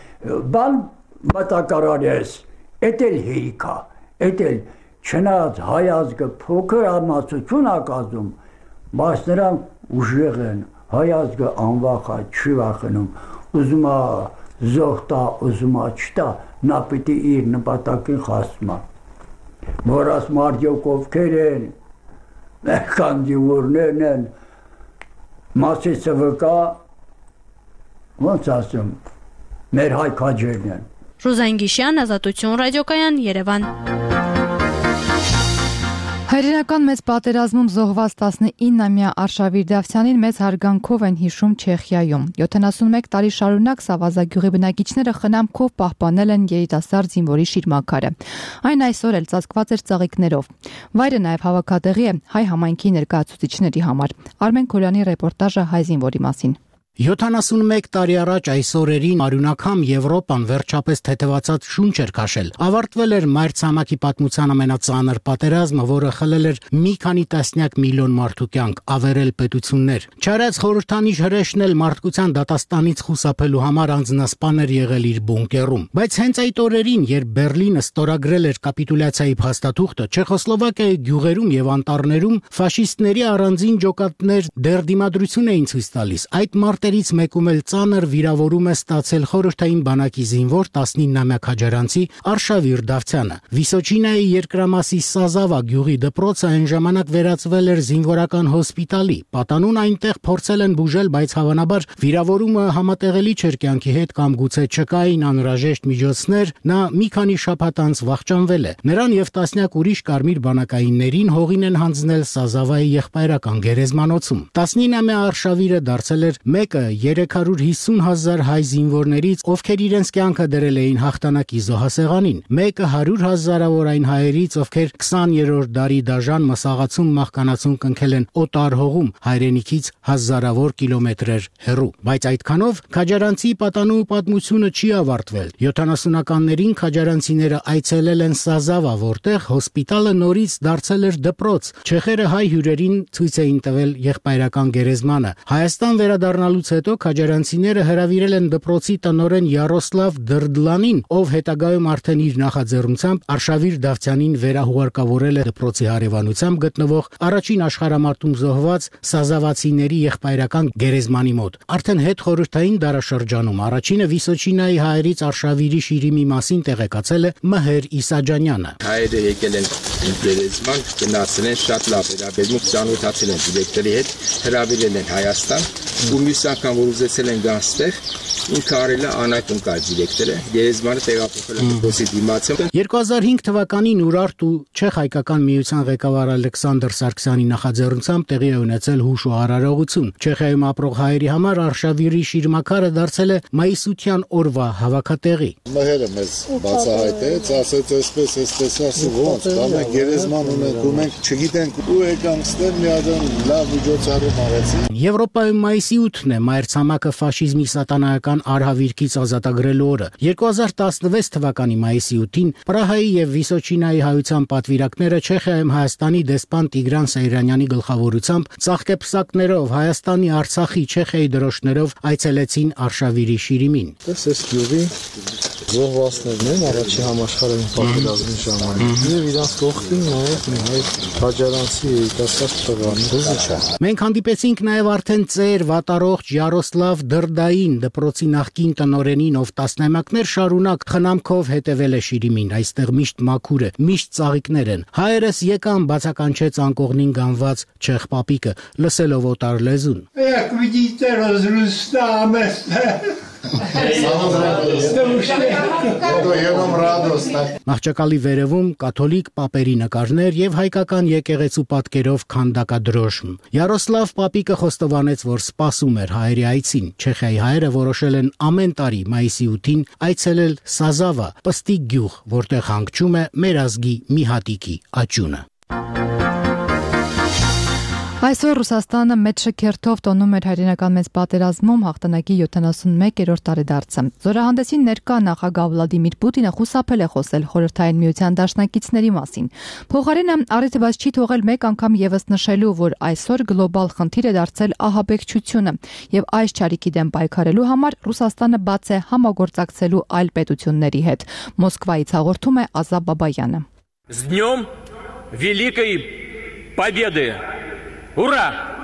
բան մտակարարես, էտել հերիքա, էտել Չնայած հայ ազգը փոքր ամացություն ակազում, բայց նրանք ուժեղ են, հայ ազգը անվախ է, չի վախենում, ուզում է զոհտա, ուզում է չտա, նա պիտի իր նպատակին հասնում է։ Որ ասում արդյոք ովքեր են, մերքան դիվորներն են, մասիցը վկա, ոնց ասում, մեր հայ քաջերն են։ Ռուզան Գիշյան, Ազատություն ռադիոկայան, Երևան։ Հայրենական մեծ պատերազմում զոհված 19-ամյա Արշավիր Դավթյանին մեծ հարգանքով են հիշում Չեխիայում։ 71 տարի շարունակ Սավազագյուղի բնակիչները խնամքով պահպանել են երիտասարդ զինվորի շիրմաքարը։ Այն այսօր էլ ծածկված էր ծաղիկներով։ Վայրը նաև հավաքատեղի է հայ համայնքի ներկայացուցիչների համար։ Արմեն Քորյանի ռեպորտաժը հայ զինվորի մասին։ 71 տարի առաջ այս օրերին արյունակամ Եվրոպան վերջապես թեթևացած շունչ էր քաշել։ Ավարտվել էր մայրցամաքի պատմության ամենածանր պատերազմը, որը խլել էր մի քանի տասնյակ միլիոն մարդու կյանք, ավերել պետություններ։ Չարած խորհրդանիշ հրեշն էլ մարդկության դատաստանից խուսափելու համար անձնասպան էր եղել իր բունկերում։ Բայց հենց այդ օրերին, երբ Բերլինը ստորագրել էր կապիտուլյացիայի փաստաթուղթը, Չեխոսլովակիայի գյուղերում եւ անտառներում ֆաշիստների առանձին ջոկատներ դեռ դիմադրություն էին ցույց տալիս։ Այդ Տերից մեկում էլ ծանր վիրավորում է ստացել խորհրդային բանակի զինվոր 19-ամյա քաջարանցի Արշավիր Դավթյանը։ Վիսոչինայի երկրամասի Սազավա գյուղի դպրոցը այն ժամանակ վերածվել էր զինվորական հոսպիտալի։ Պատանուն այնտեղ փորձել են բուժել, բայց հավանաբար վիրավորումը համատեղելի չէր կյանքի հետ կամ գուցե չկային անհրաժեշտ միջոցներ, նա մի քանի շաբաթ անց վախճանվել է։ Նրան եւ տասնյակ ուրիշ կարմիր բանակայիններին հողին են հանձնել Սազավայի եղբայրական գերեզմանոցում։ 19-ամյա Արշավիրը դարձել էր 350,000 հայ զինվորներից, ովքեր իրենց կյանքը դրել էին հաղթանակի զոհասեղանին, մեկը 100,000-ավոր այն հայերից, ովքեր 20-րդ դարի դաժան մսաղացում մահկանացուն կնքել են օտար հողում, հայրենիքից հազարավոր կիլոմետրեր հեռու։ Բայց այդքանով քաջարանցի պատանու պատմությունը չի ավարտվել։ 70-ականներին քաջարանցիները այցելել են Սազավա, որտեղ հոսպիտալը նորից դարձել էր դպրոց։ Չեխերը հայ հյուրերին ցույց էին տվել եղբայրական գերեզմանը։ Հայաստան վերադառնալուց հանդիպումից հետո քաջարանցիները հրավիրել են դպրոցի տնօրեն Յարոսլավ Դրդլանին, ով հետագայում արդեն իր նախաձեռնությամբ Արշավիր Դավթյանին վերահուղարկավորել է դպրոցի հարևանությամբ գտնվող առաջին աշխարհամարտում զոհված սազավացիների եղբայրական գերեզմանի մոտ։ Արդեն հետխորհրդային դարաշրջանում առաջինը Վիսոչինայի հայերից Արշավիրի շիրիմի մասին տեղեկացել է Մհեր Իսաջանյանը։ Հայերը եկել են գերեզման, գնացել են շատ լավ վերաբերմունք ծանոթացել են դիրեկտորի հետ, հրավիրել են Հայաստան, ու մյուս անգամ որ ուզեցել են գան ստեղ, ինքը արել է անակում կար դիրեկտորը, գերեզմանը տեղափոխել է դպրոցի դիմացը։ 2005 թվականին Ուրարտ ու Չեխ հայկական միության ղեկավար Ալեքսանդր Սարգսյանի նախաձեռնությամբ տեղի է ունեցել հուշ ու արարողություն։ Չեխիայում ապրող հայերի համար Արշավիրի շիրմաքարը դարձել է մայիսության օրվա հավաքատեղի։ Մհերը մեզ բացահայտեց, ասեց այսպես, ոնց, դա մենք գերեզման ունենք ու մենք չգիտենք ու եկանք ստեղ միադան լավ միջոցառում արեցին։ Եվրոպայում մայիսի 8-ն է մայրցամաքը ֆաշիզմի սատանայական արհավիրքից ազատագրելու օրը։ 2016 թվականի մայիսի 8-ին Պրահայի եւ Վիսոչինայի հայության պատվիրակները Չեխիայում Հայաստանի դեսպան Տիգրան Սեյրանյանի գլխավորությամբ ծաղկեպսակներով Հայաստանի, Արցախի, Չեխիայի դրոշներով այցելեցին Արշավիրի շիրիմին։ Այս գյուղի զոհվածներն են առաջի համաշխարհային պատերազմի ժամանակ եւ իրանց կողքին նաեւ մի հայ քաջարանցի երիտասարդ տղան Ռուզիչա։ Մենք հանդիպեցինք նաեւ արդեն ծեր վատարողջ Յարոսլավ Դրդային, դպրոցի նախկին տնօրենին, ով տասնամյակներ շարունակ խնամքով հետևել է շիրիմին։ Այստեղ միշտ մաքուր է, միշտ ծաղիկներ են։ Հայերս եկան, բացականչեց անկողնին գանված չեխ պապիկը, լսելով օտար լեզուն։ Як видите, разрастάμε. Մահճակալի վերևում կաթոլիկ պապերի նկարներ եւ հայկական եկեղեցու պատկերով քանդակադրոշմ։ Յարոսլավ պապիկը խոստովանեց, որ սպասում էր հայերի այցին։ Չեխիայի հայերը որոշել են ամեն տարի մայիսի 8-ին այցելել Սազավա, պստիկ գյուղ, որտեղ հանգչում է մեր ազգի մի հատիկի աճյունը։ Այսօր Ռուսաստանը մեծ շքերթով տոնում էր հայրենական մեծ պատերազմում հաղթանակի 71-րդ տարեդարձը։ Զորահանդեսին ներկա նախագահ Վլադիմիր Պուտինը խուսափել է խոսել Խորհրդային Միության դաշնակիցների մասին։ Փոխարենը առիթ բաց չի թողել մեկ անգամ եւս նշելու, որ այսօր գլոբալ խնդիր է դարձել ահաբեկչությունը եւ այս չարիքի դեմ պայքարելու համար Ռուսաստանը բաց է համագործակցելու այլ պետությունների հետ։ Մոսկվայից հաղորդում է Ազա Բաբայանը։ С днем Великой Победы! Ура!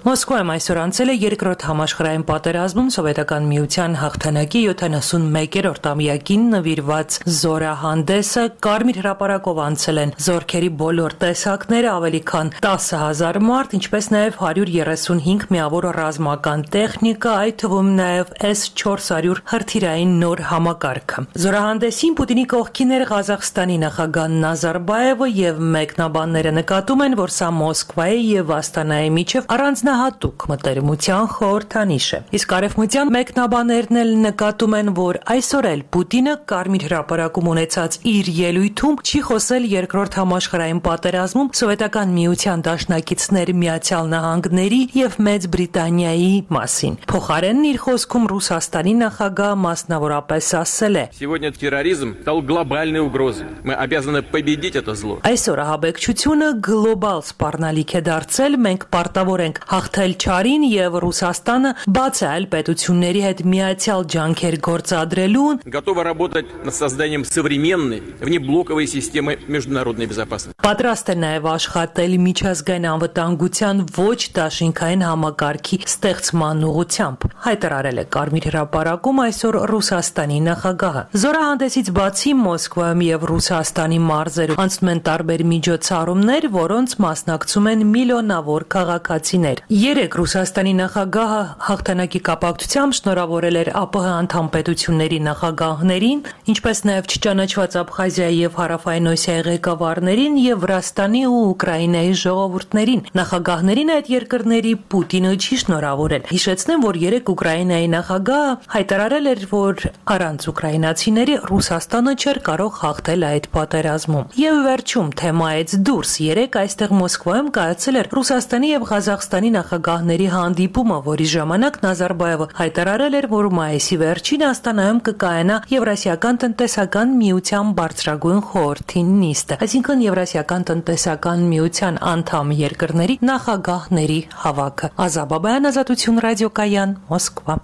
Մոսկվայում այսօր անցել է երկրորդ համաշխարհային պատերազմում Սովետական Միության հաղթանակի 71-րդ ամյակին նվիրված զորահանդեսը Կարմիր հրապարակով անցել են զորքերի բոլոր տեսակները, ավելի քան 10,000 մարդ, ինչպես նաև 135 միավոր ռազմական տեխնիկա, այդ թվում նաև S-400 հրթիռային նոր համակարգը։ Զորահանդեսին Պուտինի կողքին էր Ղազախստանի նախագահ Նազարբաևը եւ մեկնաբանները նկատում են, որ սա Մոսկվայի եւ Աստանայի միջև առանձնահատուկ մտերմության խորհրդանիշ է։ Իսկ արևմտյան մեկնաբաններն էլ նկատում են, որ այսօր էլ Պուտինը Կարմիր հրապարակում ունեցած իր ելույթում չի խոսել երկրորդ համաշխարհային պատերազմում Սովետական Միության դաշնակիցներ Միացյալ Նահանգների եւ Մեծ Բրիտանիայի մասին։ Փոխարենն իր խոսքում Ռուսաստանի նախագահը մասնավորապես ասել է. Сегодня терроризм стал глобальной угрозой. Мы обязаны победить это зло. Այսօր ահաբեկչությունը գլոբալ սպառնալիք է դարձել, մենք պարտավոր ենք հաղթել չարին եւ Ռուսաստանը բաց է այլ պետությունների հետ միացյալ ջանքեր գործադրելուն, готова работать над созданием современной внеблоковой системы международной безопасности. Պատրաստ է նաեւ աշխատել միջազգային անվտանգության ոչ դաշինքային համակարգի ստեղծման ուղղությամբ, հայտարարել է Կարմիր հրապարակում այսօր Ռուսաստանի նախագահը։ Զորահանդեսից բացի Մոսկվայում եւ Ռուսաստանի մարզերում անցնում են տարբեր միջոցառումներ, որոնց մասնակցում են միլիոնավոր քաղաքացիներ։ Երեկ Ռուսաստանի նախագահը հաղթանակի կապակցությամբ շնորհավորել էր ԱՊՀ անդամ պետությունների նախագահներին, ինչպես նաև չճանաչված Աբխազիայի եւ Հարավային Օսիայի ղեկավարներին եւ Վրաստանի ու Ուկրաինայի ժողովուրդներին։ Նախագահներին այդ երկրների Պուտինը չի շնորհավորել։ Հիշեցնեմ, որ երեկ Ուկրաինայի նախագահը հայտարարել էր, որ առանց ուկրաինացիների Ռուսաստանը չէր կարող հաղթել այդ պատերազմում։ Եվ վերջում թեմայից դուրս երեկ այստեղ Մոսկվայում կայացել էր Ռուսաստանի եւ Ղազախստանի նախագահների հանդիպումը, որի ժամանակ Նազարբայևը հայտարարել էր, որ մայիսի վերջին Աստանայում կկայանա Եվրասիական տնտեսական միության բարձրագույն խորհրդի նիստը, այսինքն Եվրասիական տնտեսական միության անդամ երկրների նախագահների հավաքը։ Ազաբաբայան, Ազատություն ռադիոկայան, Մոսկվա։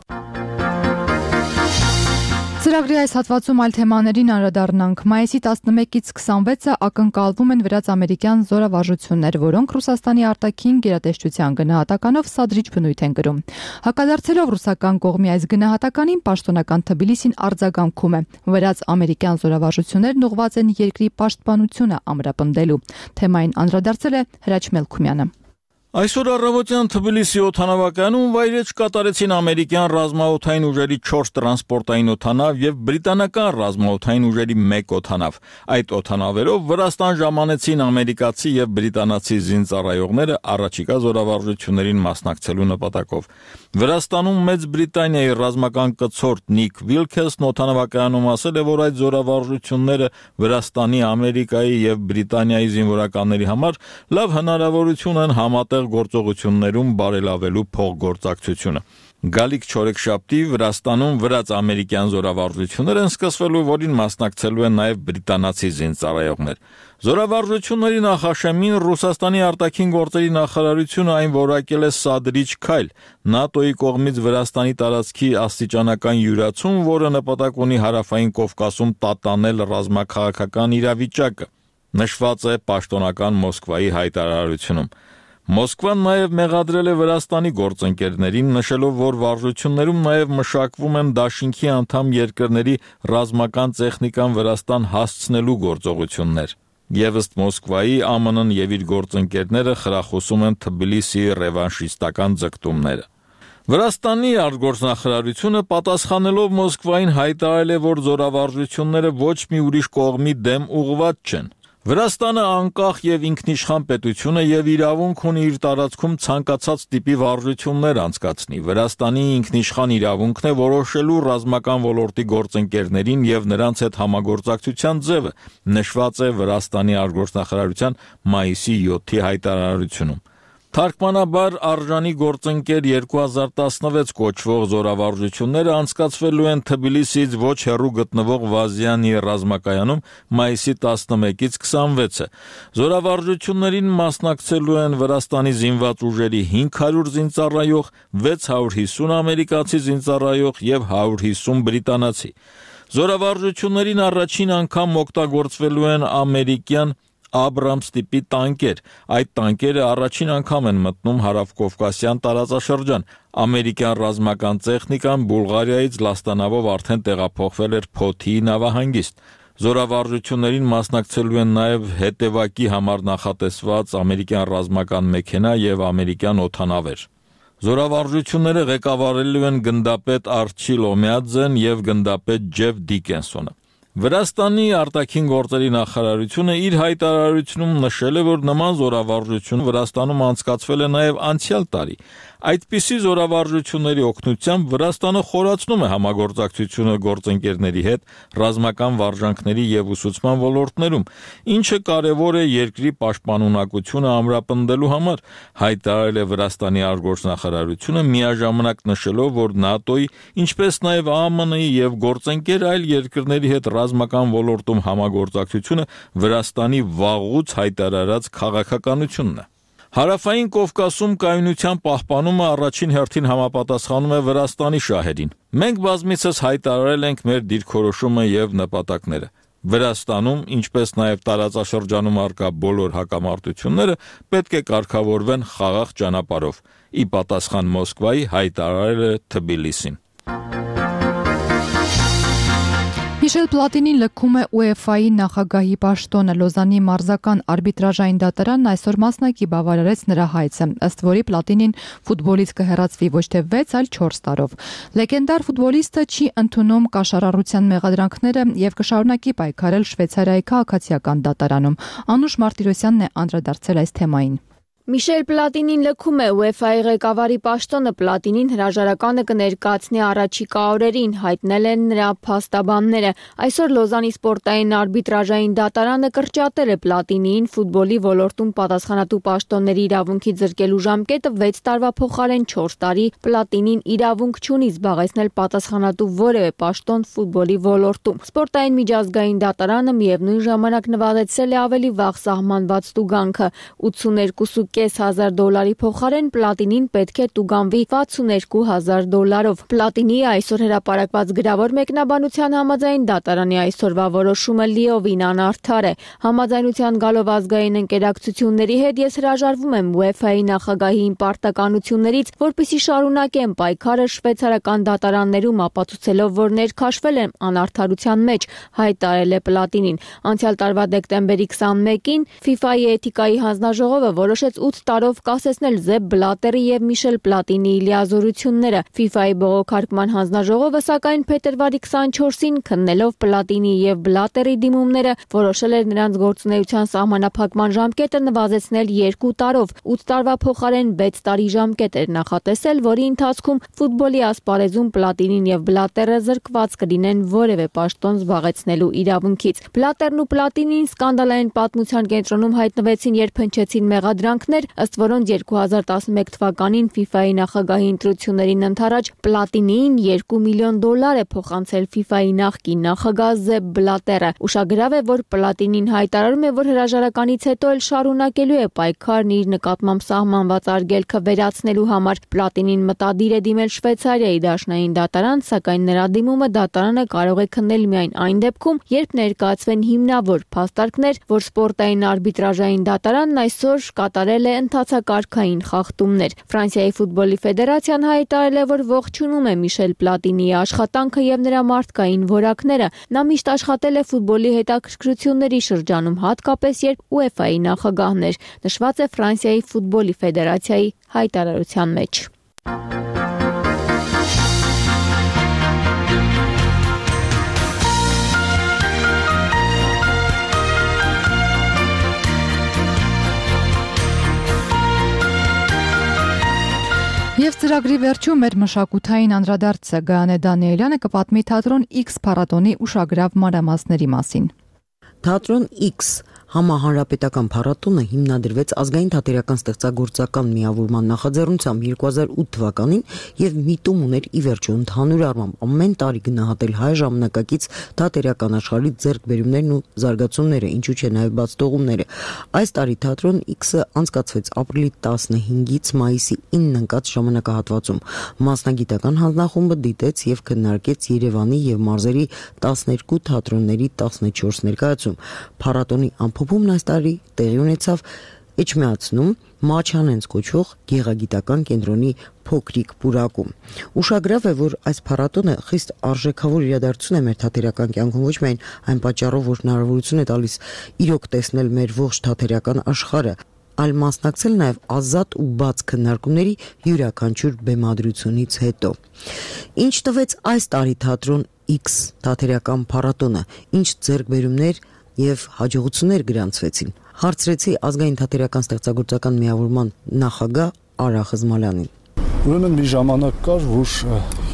Ծրագրի այս հատվածում այլ թեմաներին անդրադառնանք։ Մայիսի 11-ից 26-ը ակնկալվում են վրաց-ամերիկյան զորավարժություններ, որոնք Ռուսաստանի արտաքին գերատեսչության գնահատականով սադրիչ բնույթ են կրում։ Հակադարձելով ռուսական կողմի այս գնահատականին, պաշտոնական Թբիլիսին արձագանքում է։ Վրաց-ամերիկյան զորավարժություններն ուղղված են երկրի պաշտպանությունը ամրապնդելու։ Թեմային անդրադարձել է Հրաչ Մելքումյանը։ Այսօր առավոտյան Թբիլիսի օդանավակայանում վայրէջք կատարեցին ամերիկյան ռազմաօդային ուժերի 4 տրանսպորտային օդանավ եւ բրիտանական ռազմաօդային ուժերի 1 օդանավ։ Այդ օդանավերով Վրաստան ժամանեցին ամերիկացի եւ բրիտանացի զինծառայողները առաջիկա զորավարժություններին մասնակցելու նպատակով։ Վրաստանում Մեծ Բրիտանիայի ռազմական կցորդ Նիկ Վիլքեսն օդանավակայանում ասել է, որ այդ զորավարժությունները Վրաստանի, Ամերիկայի եւ Բրիտանիայի զինվորականների համար լավ հնարավորություն են համատեղ գործողություններում բարելավելու փոխգործակցությունը։ Գալիք չորեքշաբթի Վրաստանում վրաց-ամերիկյան զորավարժություններ են սկսվելու, որին մասնակցելու են նաև բրիտանացի զինծառայողներ։ Զորավարժությունների նախաշեմին Ռուսաստանի արտաքին գործերի նախարարությունը այն որակել է սադրիչ քայլ ՆԱՏՕ-ի կողմից Վրաստանի տարածքի աստիճանական յուրացում, որը նպատակ ունի հարավային Կովկասում տատանել ռազմաքաղաքական իրավիճակը, նշված է պաշտոնական Մոսկվայի հայտարարությունում։ Մոսկվան նաև մեղադրել է Վրաստանի գործընկերներին, նշելով, որ վարժություններում նաև մշակվում են դաշինքի անդամ երկրների ռազմական տեխնիկան Վրաստան հասցնելու գործողություններ։ Եվ ըստ Մոսկվայի ԱՄՆ-ն եւ իր գործընկերները խրախուսում են Թբիլիսիի ռևանշիստական ձգտումները։ Վրաստանի արտգործնախարարությունը պատասխանելով Մոսկվային հայտարարել է, որ զորավարժությունները ոչ մի ուրիշ կողմի դեմ ուղղված չեն։ Վրաստանը անկախ եւ ինքնիշխան պետություն է եւ իրավունք ունի իր տարածքում ցանկացած տիպի վարժություններ անցկացնի։ Վրաստանի ինքնիշխան իրավունքն է որոշելու ռազմական ոլորտի գործընկերներին եւ նրանց հետ համագործակցության ձևը, նշված է Վրաստանի արտգործնախարարության մայիսի 7-ի հայտարարությունում։ Թարգմանաբար արժանի գործընկեր 2016 կոչվող զորավարժությունները անցկացվելու են Թբիլիսիից ոչ հեռու գտնվող Վազյանի ռազմակայանում մայիսի 11-ից 26-ը։ Զորավարժություններին մասնակցելու են Վրաստանի զինված ուժերի 500 զինծառայող, 650 ամերիկացի զինծառայող եւ 150 բրիտանացի։ Զորավարժություններին առաջին անգամ օգտագործվելու են ամերիկյան Աբրամս տիպի տանկեր։ Այդ տանկերը առաջին անգամ են մտնում հարավկովկասյան տարածաշրջան։ Ամերիկյան ռազմական տեխնիկան Բուլղարիայից լաստանավով արդեն տեղափոխվել էր Փոթիի նավահանգիստ։ Զորավարժություններին մասնակցելու են նաև հետևակի համար նախատեսված ամերիկյան ռազմական մեքենա եւ ամերիկյան օդանավեր։ Զորավարժությունները ղեկավարելու են գնդապետ Արչիլ Օմյադզեն եւ գնդապետ Ջեֆ Դիկենսոնը։ Վրաստանի արտաքին գործերի նախարարությունը իր հայտարարությունում նշել է, որ նման զորավարժություն Վրաստանում անցկացվել է նաև անցյալ տարի։ Այդպիսի զորավարժությունների օգնությամբ Վրաստանը խորացնում է համագործակցությունը գործընկերների հետ ռազմական վարժանքների եւ ուսուցման ոլորտներում, ինչը կարևոր է երկրի պաշտպանունակությունը ամրապնդելու համար, հայտարարել է Վրաստանի արտգործնախարարությունը, միաժամանակ նշելով, որ ՆԱՏՕ-ի, ինչպես նաև ԱՄՆ-ի եւ գործընկեր այլ երկրների հետ ռազմական ոլորտում համագործակցությունը Վրաստանի վաղուց հայտարարած քաղաքականությունն է։ Հարավային Կովկասում կայունության պահպանումը առաջին հերթին համապատասխանում է Վրաստանի շահերին։ Մենք բազմիցս հայտարարել ենք մեր դիրքորոշումը եւ նպատակները։ Վրաստանում, ինչպես նաև տարածաշրջանում առկա բոլոր հակամարտությունները պետք է կարգավորվեն խաղաղ ճանապարհով։ Ի պատասխան Մոսկվայի հայտարարել է Թբիլիսին։ Միշել Պլատինին լքում է UEFA-ի նախագահի պաշտոնը։ Լոզանի մարզական արբիտրաժային դատարանն այսօր մասնակի բավարարեց նրա հայցը, ըստ որի Պլատինին ֆուտբոլից կհեռացվի ոչ թե 6, այլ 4 տարով։ Լեգենդար ֆուտբոլիստը չի ընդունում կաշառառության մեղադրանքները եւ կշարունակի պայքարել Շվեյցարիայի քաղաքացիական դատարանում։ Անուշ Մարտիրոսյանն է անդրադարձել այս թեմային։ Միշել Պլատինին լքում է UEFA-ի ղեկավարի պաշտոնը Պլատինին հրաժարականը կներկայացնի առաջիկա օրերին, հայտնել են նրա փաստաբանները։ Այսօր Լոզանի սպորտային արբիտրաժային դատարանը կրճատել է Պլատինիին ֆուտբոլի ոլորտում պատասխանատու պաշտոնների իրավունքի զրկելու ժամկետը 6 տարվա փոխարեն 4 տարի։ Պլատինին իրավունք չունի զբաղեցնել պատասխանատու որևէ պաշտոն ֆուտբոլի ոլորտում։ Սպորտային միջազգային դատարանը միևնույն ժամանակ նվազեցրել է ավելի վաղ սահմանված տուգանքը $82,500 փոխարեն Պլատինին պետք է տուգանվի $62,000-ով։ Պլատինիի այսօր հրապարակված գրավոր մեկնաբանության համաձայն դատարանի այսօրվա որոշումը լիովին անարդար է։ Համաձայնության գալով ազգային ընկերակցությունների հետ ես հրաժարվում եմ UEFA-ի նախագահի պարտականություններից, որպեսզի շարունակեմ պայքարը շվեյցարական դատարաններում, ապացուցելով, որ ներքաշվել եմ անարդարության մեջ, հայտարարել է Պլատինին։ Անցյալ տարվա դեկտեմբերի 21-ին FIFA-ի էթիկայի հանձնաժողովը որոշեց 8 տարով կասեցնել Զեփ Բլատերի եւ Միշել Պլատինիի լիազորությունները։ FIFA-ի բողոքարկման հանձնաժողովը սակայն փետրվարի 24-ին քննելով Պլատինիի եւ Բլատերի դիմումները որոշել էր նրանց գործունեության սահմանափակման ժամկետը նվազեցնել 2 տարով, 8 տարվա փոխարեն 6 տարի ժամկետ էր նախատեսել, որի ընթացքում ֆուտբոլի ասպարեզում Պլատինին եւ Բլատերը զրկված կլինեն որևէ պաշտոն զբաղեցնելու իրավունքից։ Բլատերն ու Պլատինին սկանդալային պատմության կենտրոնում հայտնվեցին, երբ հնչեցին մեղադրանքներ, ըստ որոնց 2011 թվականին FIFA-ի նախագահի ընտրություններին ընդառաջ Պլատինիին $2 միլիոն է փոխանցել FIFA-ի նախկին նախագահ Զեփ Բլատերը։ Ուշագրավ է, որ Պլատինին հայտարարում է, որ հրաժարականից հետո էլ շարունակելու է պայքարն իր նկատմամբ սահմանված արգելքը վերացնելու համար։ Պլատինին մտադիր է դիմել Շվեյցարիայի դաշնային դատարան, սակայն նրա դիմումը դատարանը կարող է քննել միայն այն դեպքում, երբ ներկայացվեն հիմնավոր փաստարկներ, որ սպորտային արբիտրաժային դատարանն այսօր կատարել է ընթացակարգային խախտումներ։ Ֆրանսիայի ֆուտբոլի ֆեդերացիան հայտարարել է, որ ողջունում է Միշել Պլատինիի աշխատանքը եւ նրա մարդկային որակները։ Նա միշտ աշխատել է ֆուտբոլի հետաքրքրությունների շրջանում, հատկապես երբ UEFA-ի նախագահն էր, նշված է Ֆրանսիայի ֆուտբոլի ֆեդերացիայի հայտարարության մեջ։ Եվ ծրագրի վերջում մեր մշակութային անդրադարձը Գայանե Դանիելյանը կպատմի թատրոն X փառատոնի ուշագրավ մանրամասների մասին։ Թատրոն X համահանրապետական փառատոնը հիմնադրվեց ազգային թատերական ստեղծագործական միավորման նախաձեռնությամբ 2008 թվականին եւ միտում ուներ ի վերջո ընդհանուր առմամբ ամեն տարի գնահատել հայ ժամանակակից թատերական աշխարհի ձեռքբերումներն ու զարգացումները, ինչու՞ չէ նաեւ բացթողումները։ Այս տարի թատրոն X-ը անցկացվեց ապրիլի 15-ից մայիսի 9-ն ընկած ժամանակահատվածում։ Մասնագիտական հանձնախումբը դիտեց եւ քննարկեց Երևանի եւ մարզերի 12 թատրոնների 14 ներկայացում։ Փառատոնի ամփոփումն այս տարի տեղի ունեցավ Էջմիածնում Մաչանենց կոչվող գեղագիտական կենտրոնի փոքրիկ պուրակում։ Ուշագրավ է, որ այս փառատոնը խիստ արժեքավոր իրադարձություն է մեր թատերական կյանքում, ոչ միայն այն պատճառով, որ հնարավորություն է տալիս իրոք տեսնել մեր ողջ թատերական աշխարհը, այլ մասնակցել նաև ազատ ու բաց քննարկումների յուրաքանչյուր բեմադրությունից հետո։ Ինչ տվեց այս տարի թատրոն X թատերական փառատոնը, ինչ ձեռքբերումներ եւ հաջողություններ գրանցվեցին, հարցրեցի ազգային թատերական ստեղծագործական միավորման նախագահ Արա Խզմալյանին։ Ուրեմն մի ժամանակ կար, որ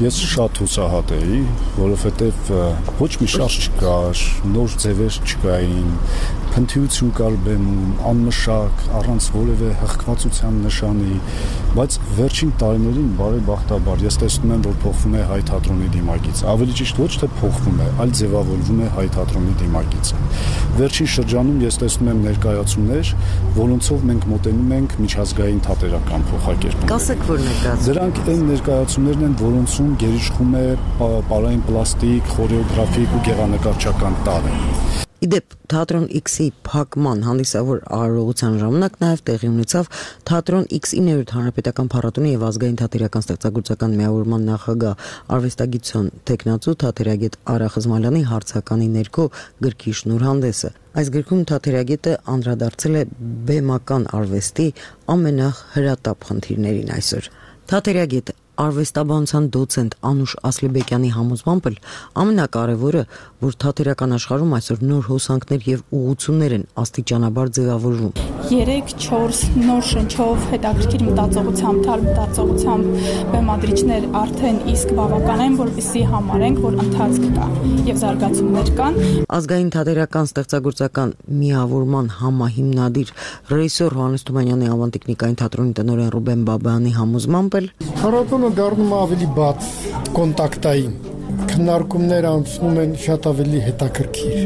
ես շատ հուսահատ էի, որովհետև ոչ մի շարժ չկար, նոր ձևեր չկային, փնթիություն կար բեմում, անմշակ, առանց որևէ հղկվածության նշանի, բայց վերջին տարիներին բարեբախտաբար ես տեսնում եմ, որ փոխվում է հայ թատրոնի դիմագիծը, ավելի ճիշտ ոչ թե փոխվում է, այլ ձևավորվում է հայ թատրոնի դիմագիծը։ Վերջին շրջանում ես տեսնում եմ ներկայացումներ, որոնցով մենք մոտենում ենք միջազգային թատերական փոխակերպումների։ Կասեք, որ ներկայացում։ Դրանք այն ներկայացումներն են, որոնցում գերիշխում է պարային պլաստիկ, խորեոգրաֆիկ ու գեղանկարչական տարր։ Իդեպ թատրոն X-ի փակման հանդիսավոր արարողության ժամանակ նաև տեղի ունեցավ թատրոն X-ի 9-րդ հանրապետական փառատոնի եւ ազգային թատերական ստեղծագործական միավորման նախագահ արվեստագիտության տեխնացու թատերագետ Արա Խզմալյանի հարցականի ներքո գրքի շնորհանդեսը։ Այս գրքում թատերագետը անդրադարձել է բեմական արվեստի ամենահրատապ խնդիրներին այսօր։ Թատերագետ արվեստաբանության դոցենտ Անուշ Ասլիբեկյանի համոզմամբ ամենակարևորը, որ թատերական աշխարհում այսօր նոր հոսանքներ եւ ուղղություններ են աստիճանաբար ձևավորվում։ 3-4 նոր շնչով հետաքրքիր մտածողությամբ, թարմ մտածողությամբ բեմադրիչներ արդեն իսկ բավական են, որպեսզի համարենք, որ ընթացք կա եւ զարգացումներ կան։ Ազգային թատերական ստեղծագործական միավորման համահիմնադիր ռեժիսոր Հովհաննես Թումանյանի ավանդիկնիկային թատրոնի տնօրեն Ռուբեն Բաբայանի համոզմամբ էլ փառատոնը դառնում է ավելի բաց, կոնտակտային, քննարկումներ անցնում են շատ ավելի հետաքրքիր։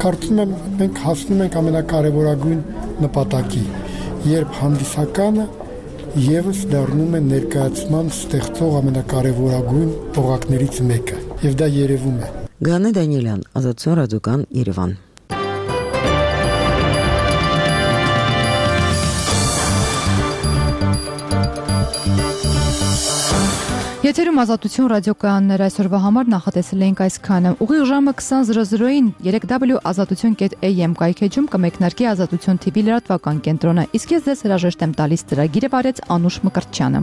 Կարծում եմ մենք հասնում ենք ամենակարևորագույն նպատակի, երբ հանդիսականը եւս դառնում է ներկայացման ստեղծող ամենակարևորագույն օղակներից մեկը, եւ դա երևում է։ Գանե Դանիելյան, Ազատություն ռադիոկան, Երևան։ Եթերում Ազատություն ռադիոկայաններ այսօրվա համար նախատեսել էինք այսքանը։ Ուղիղ ժամը 20:00-ին 3w.azatutyon.am կայքեջում կմեկնարկի Ազատություն TV լրատվական կենտրոնը։ Իսկ ես ձեզ հրաժեշտ եմ տալիս ծրագիրը վարեց Անուշ Մկրտչյանը։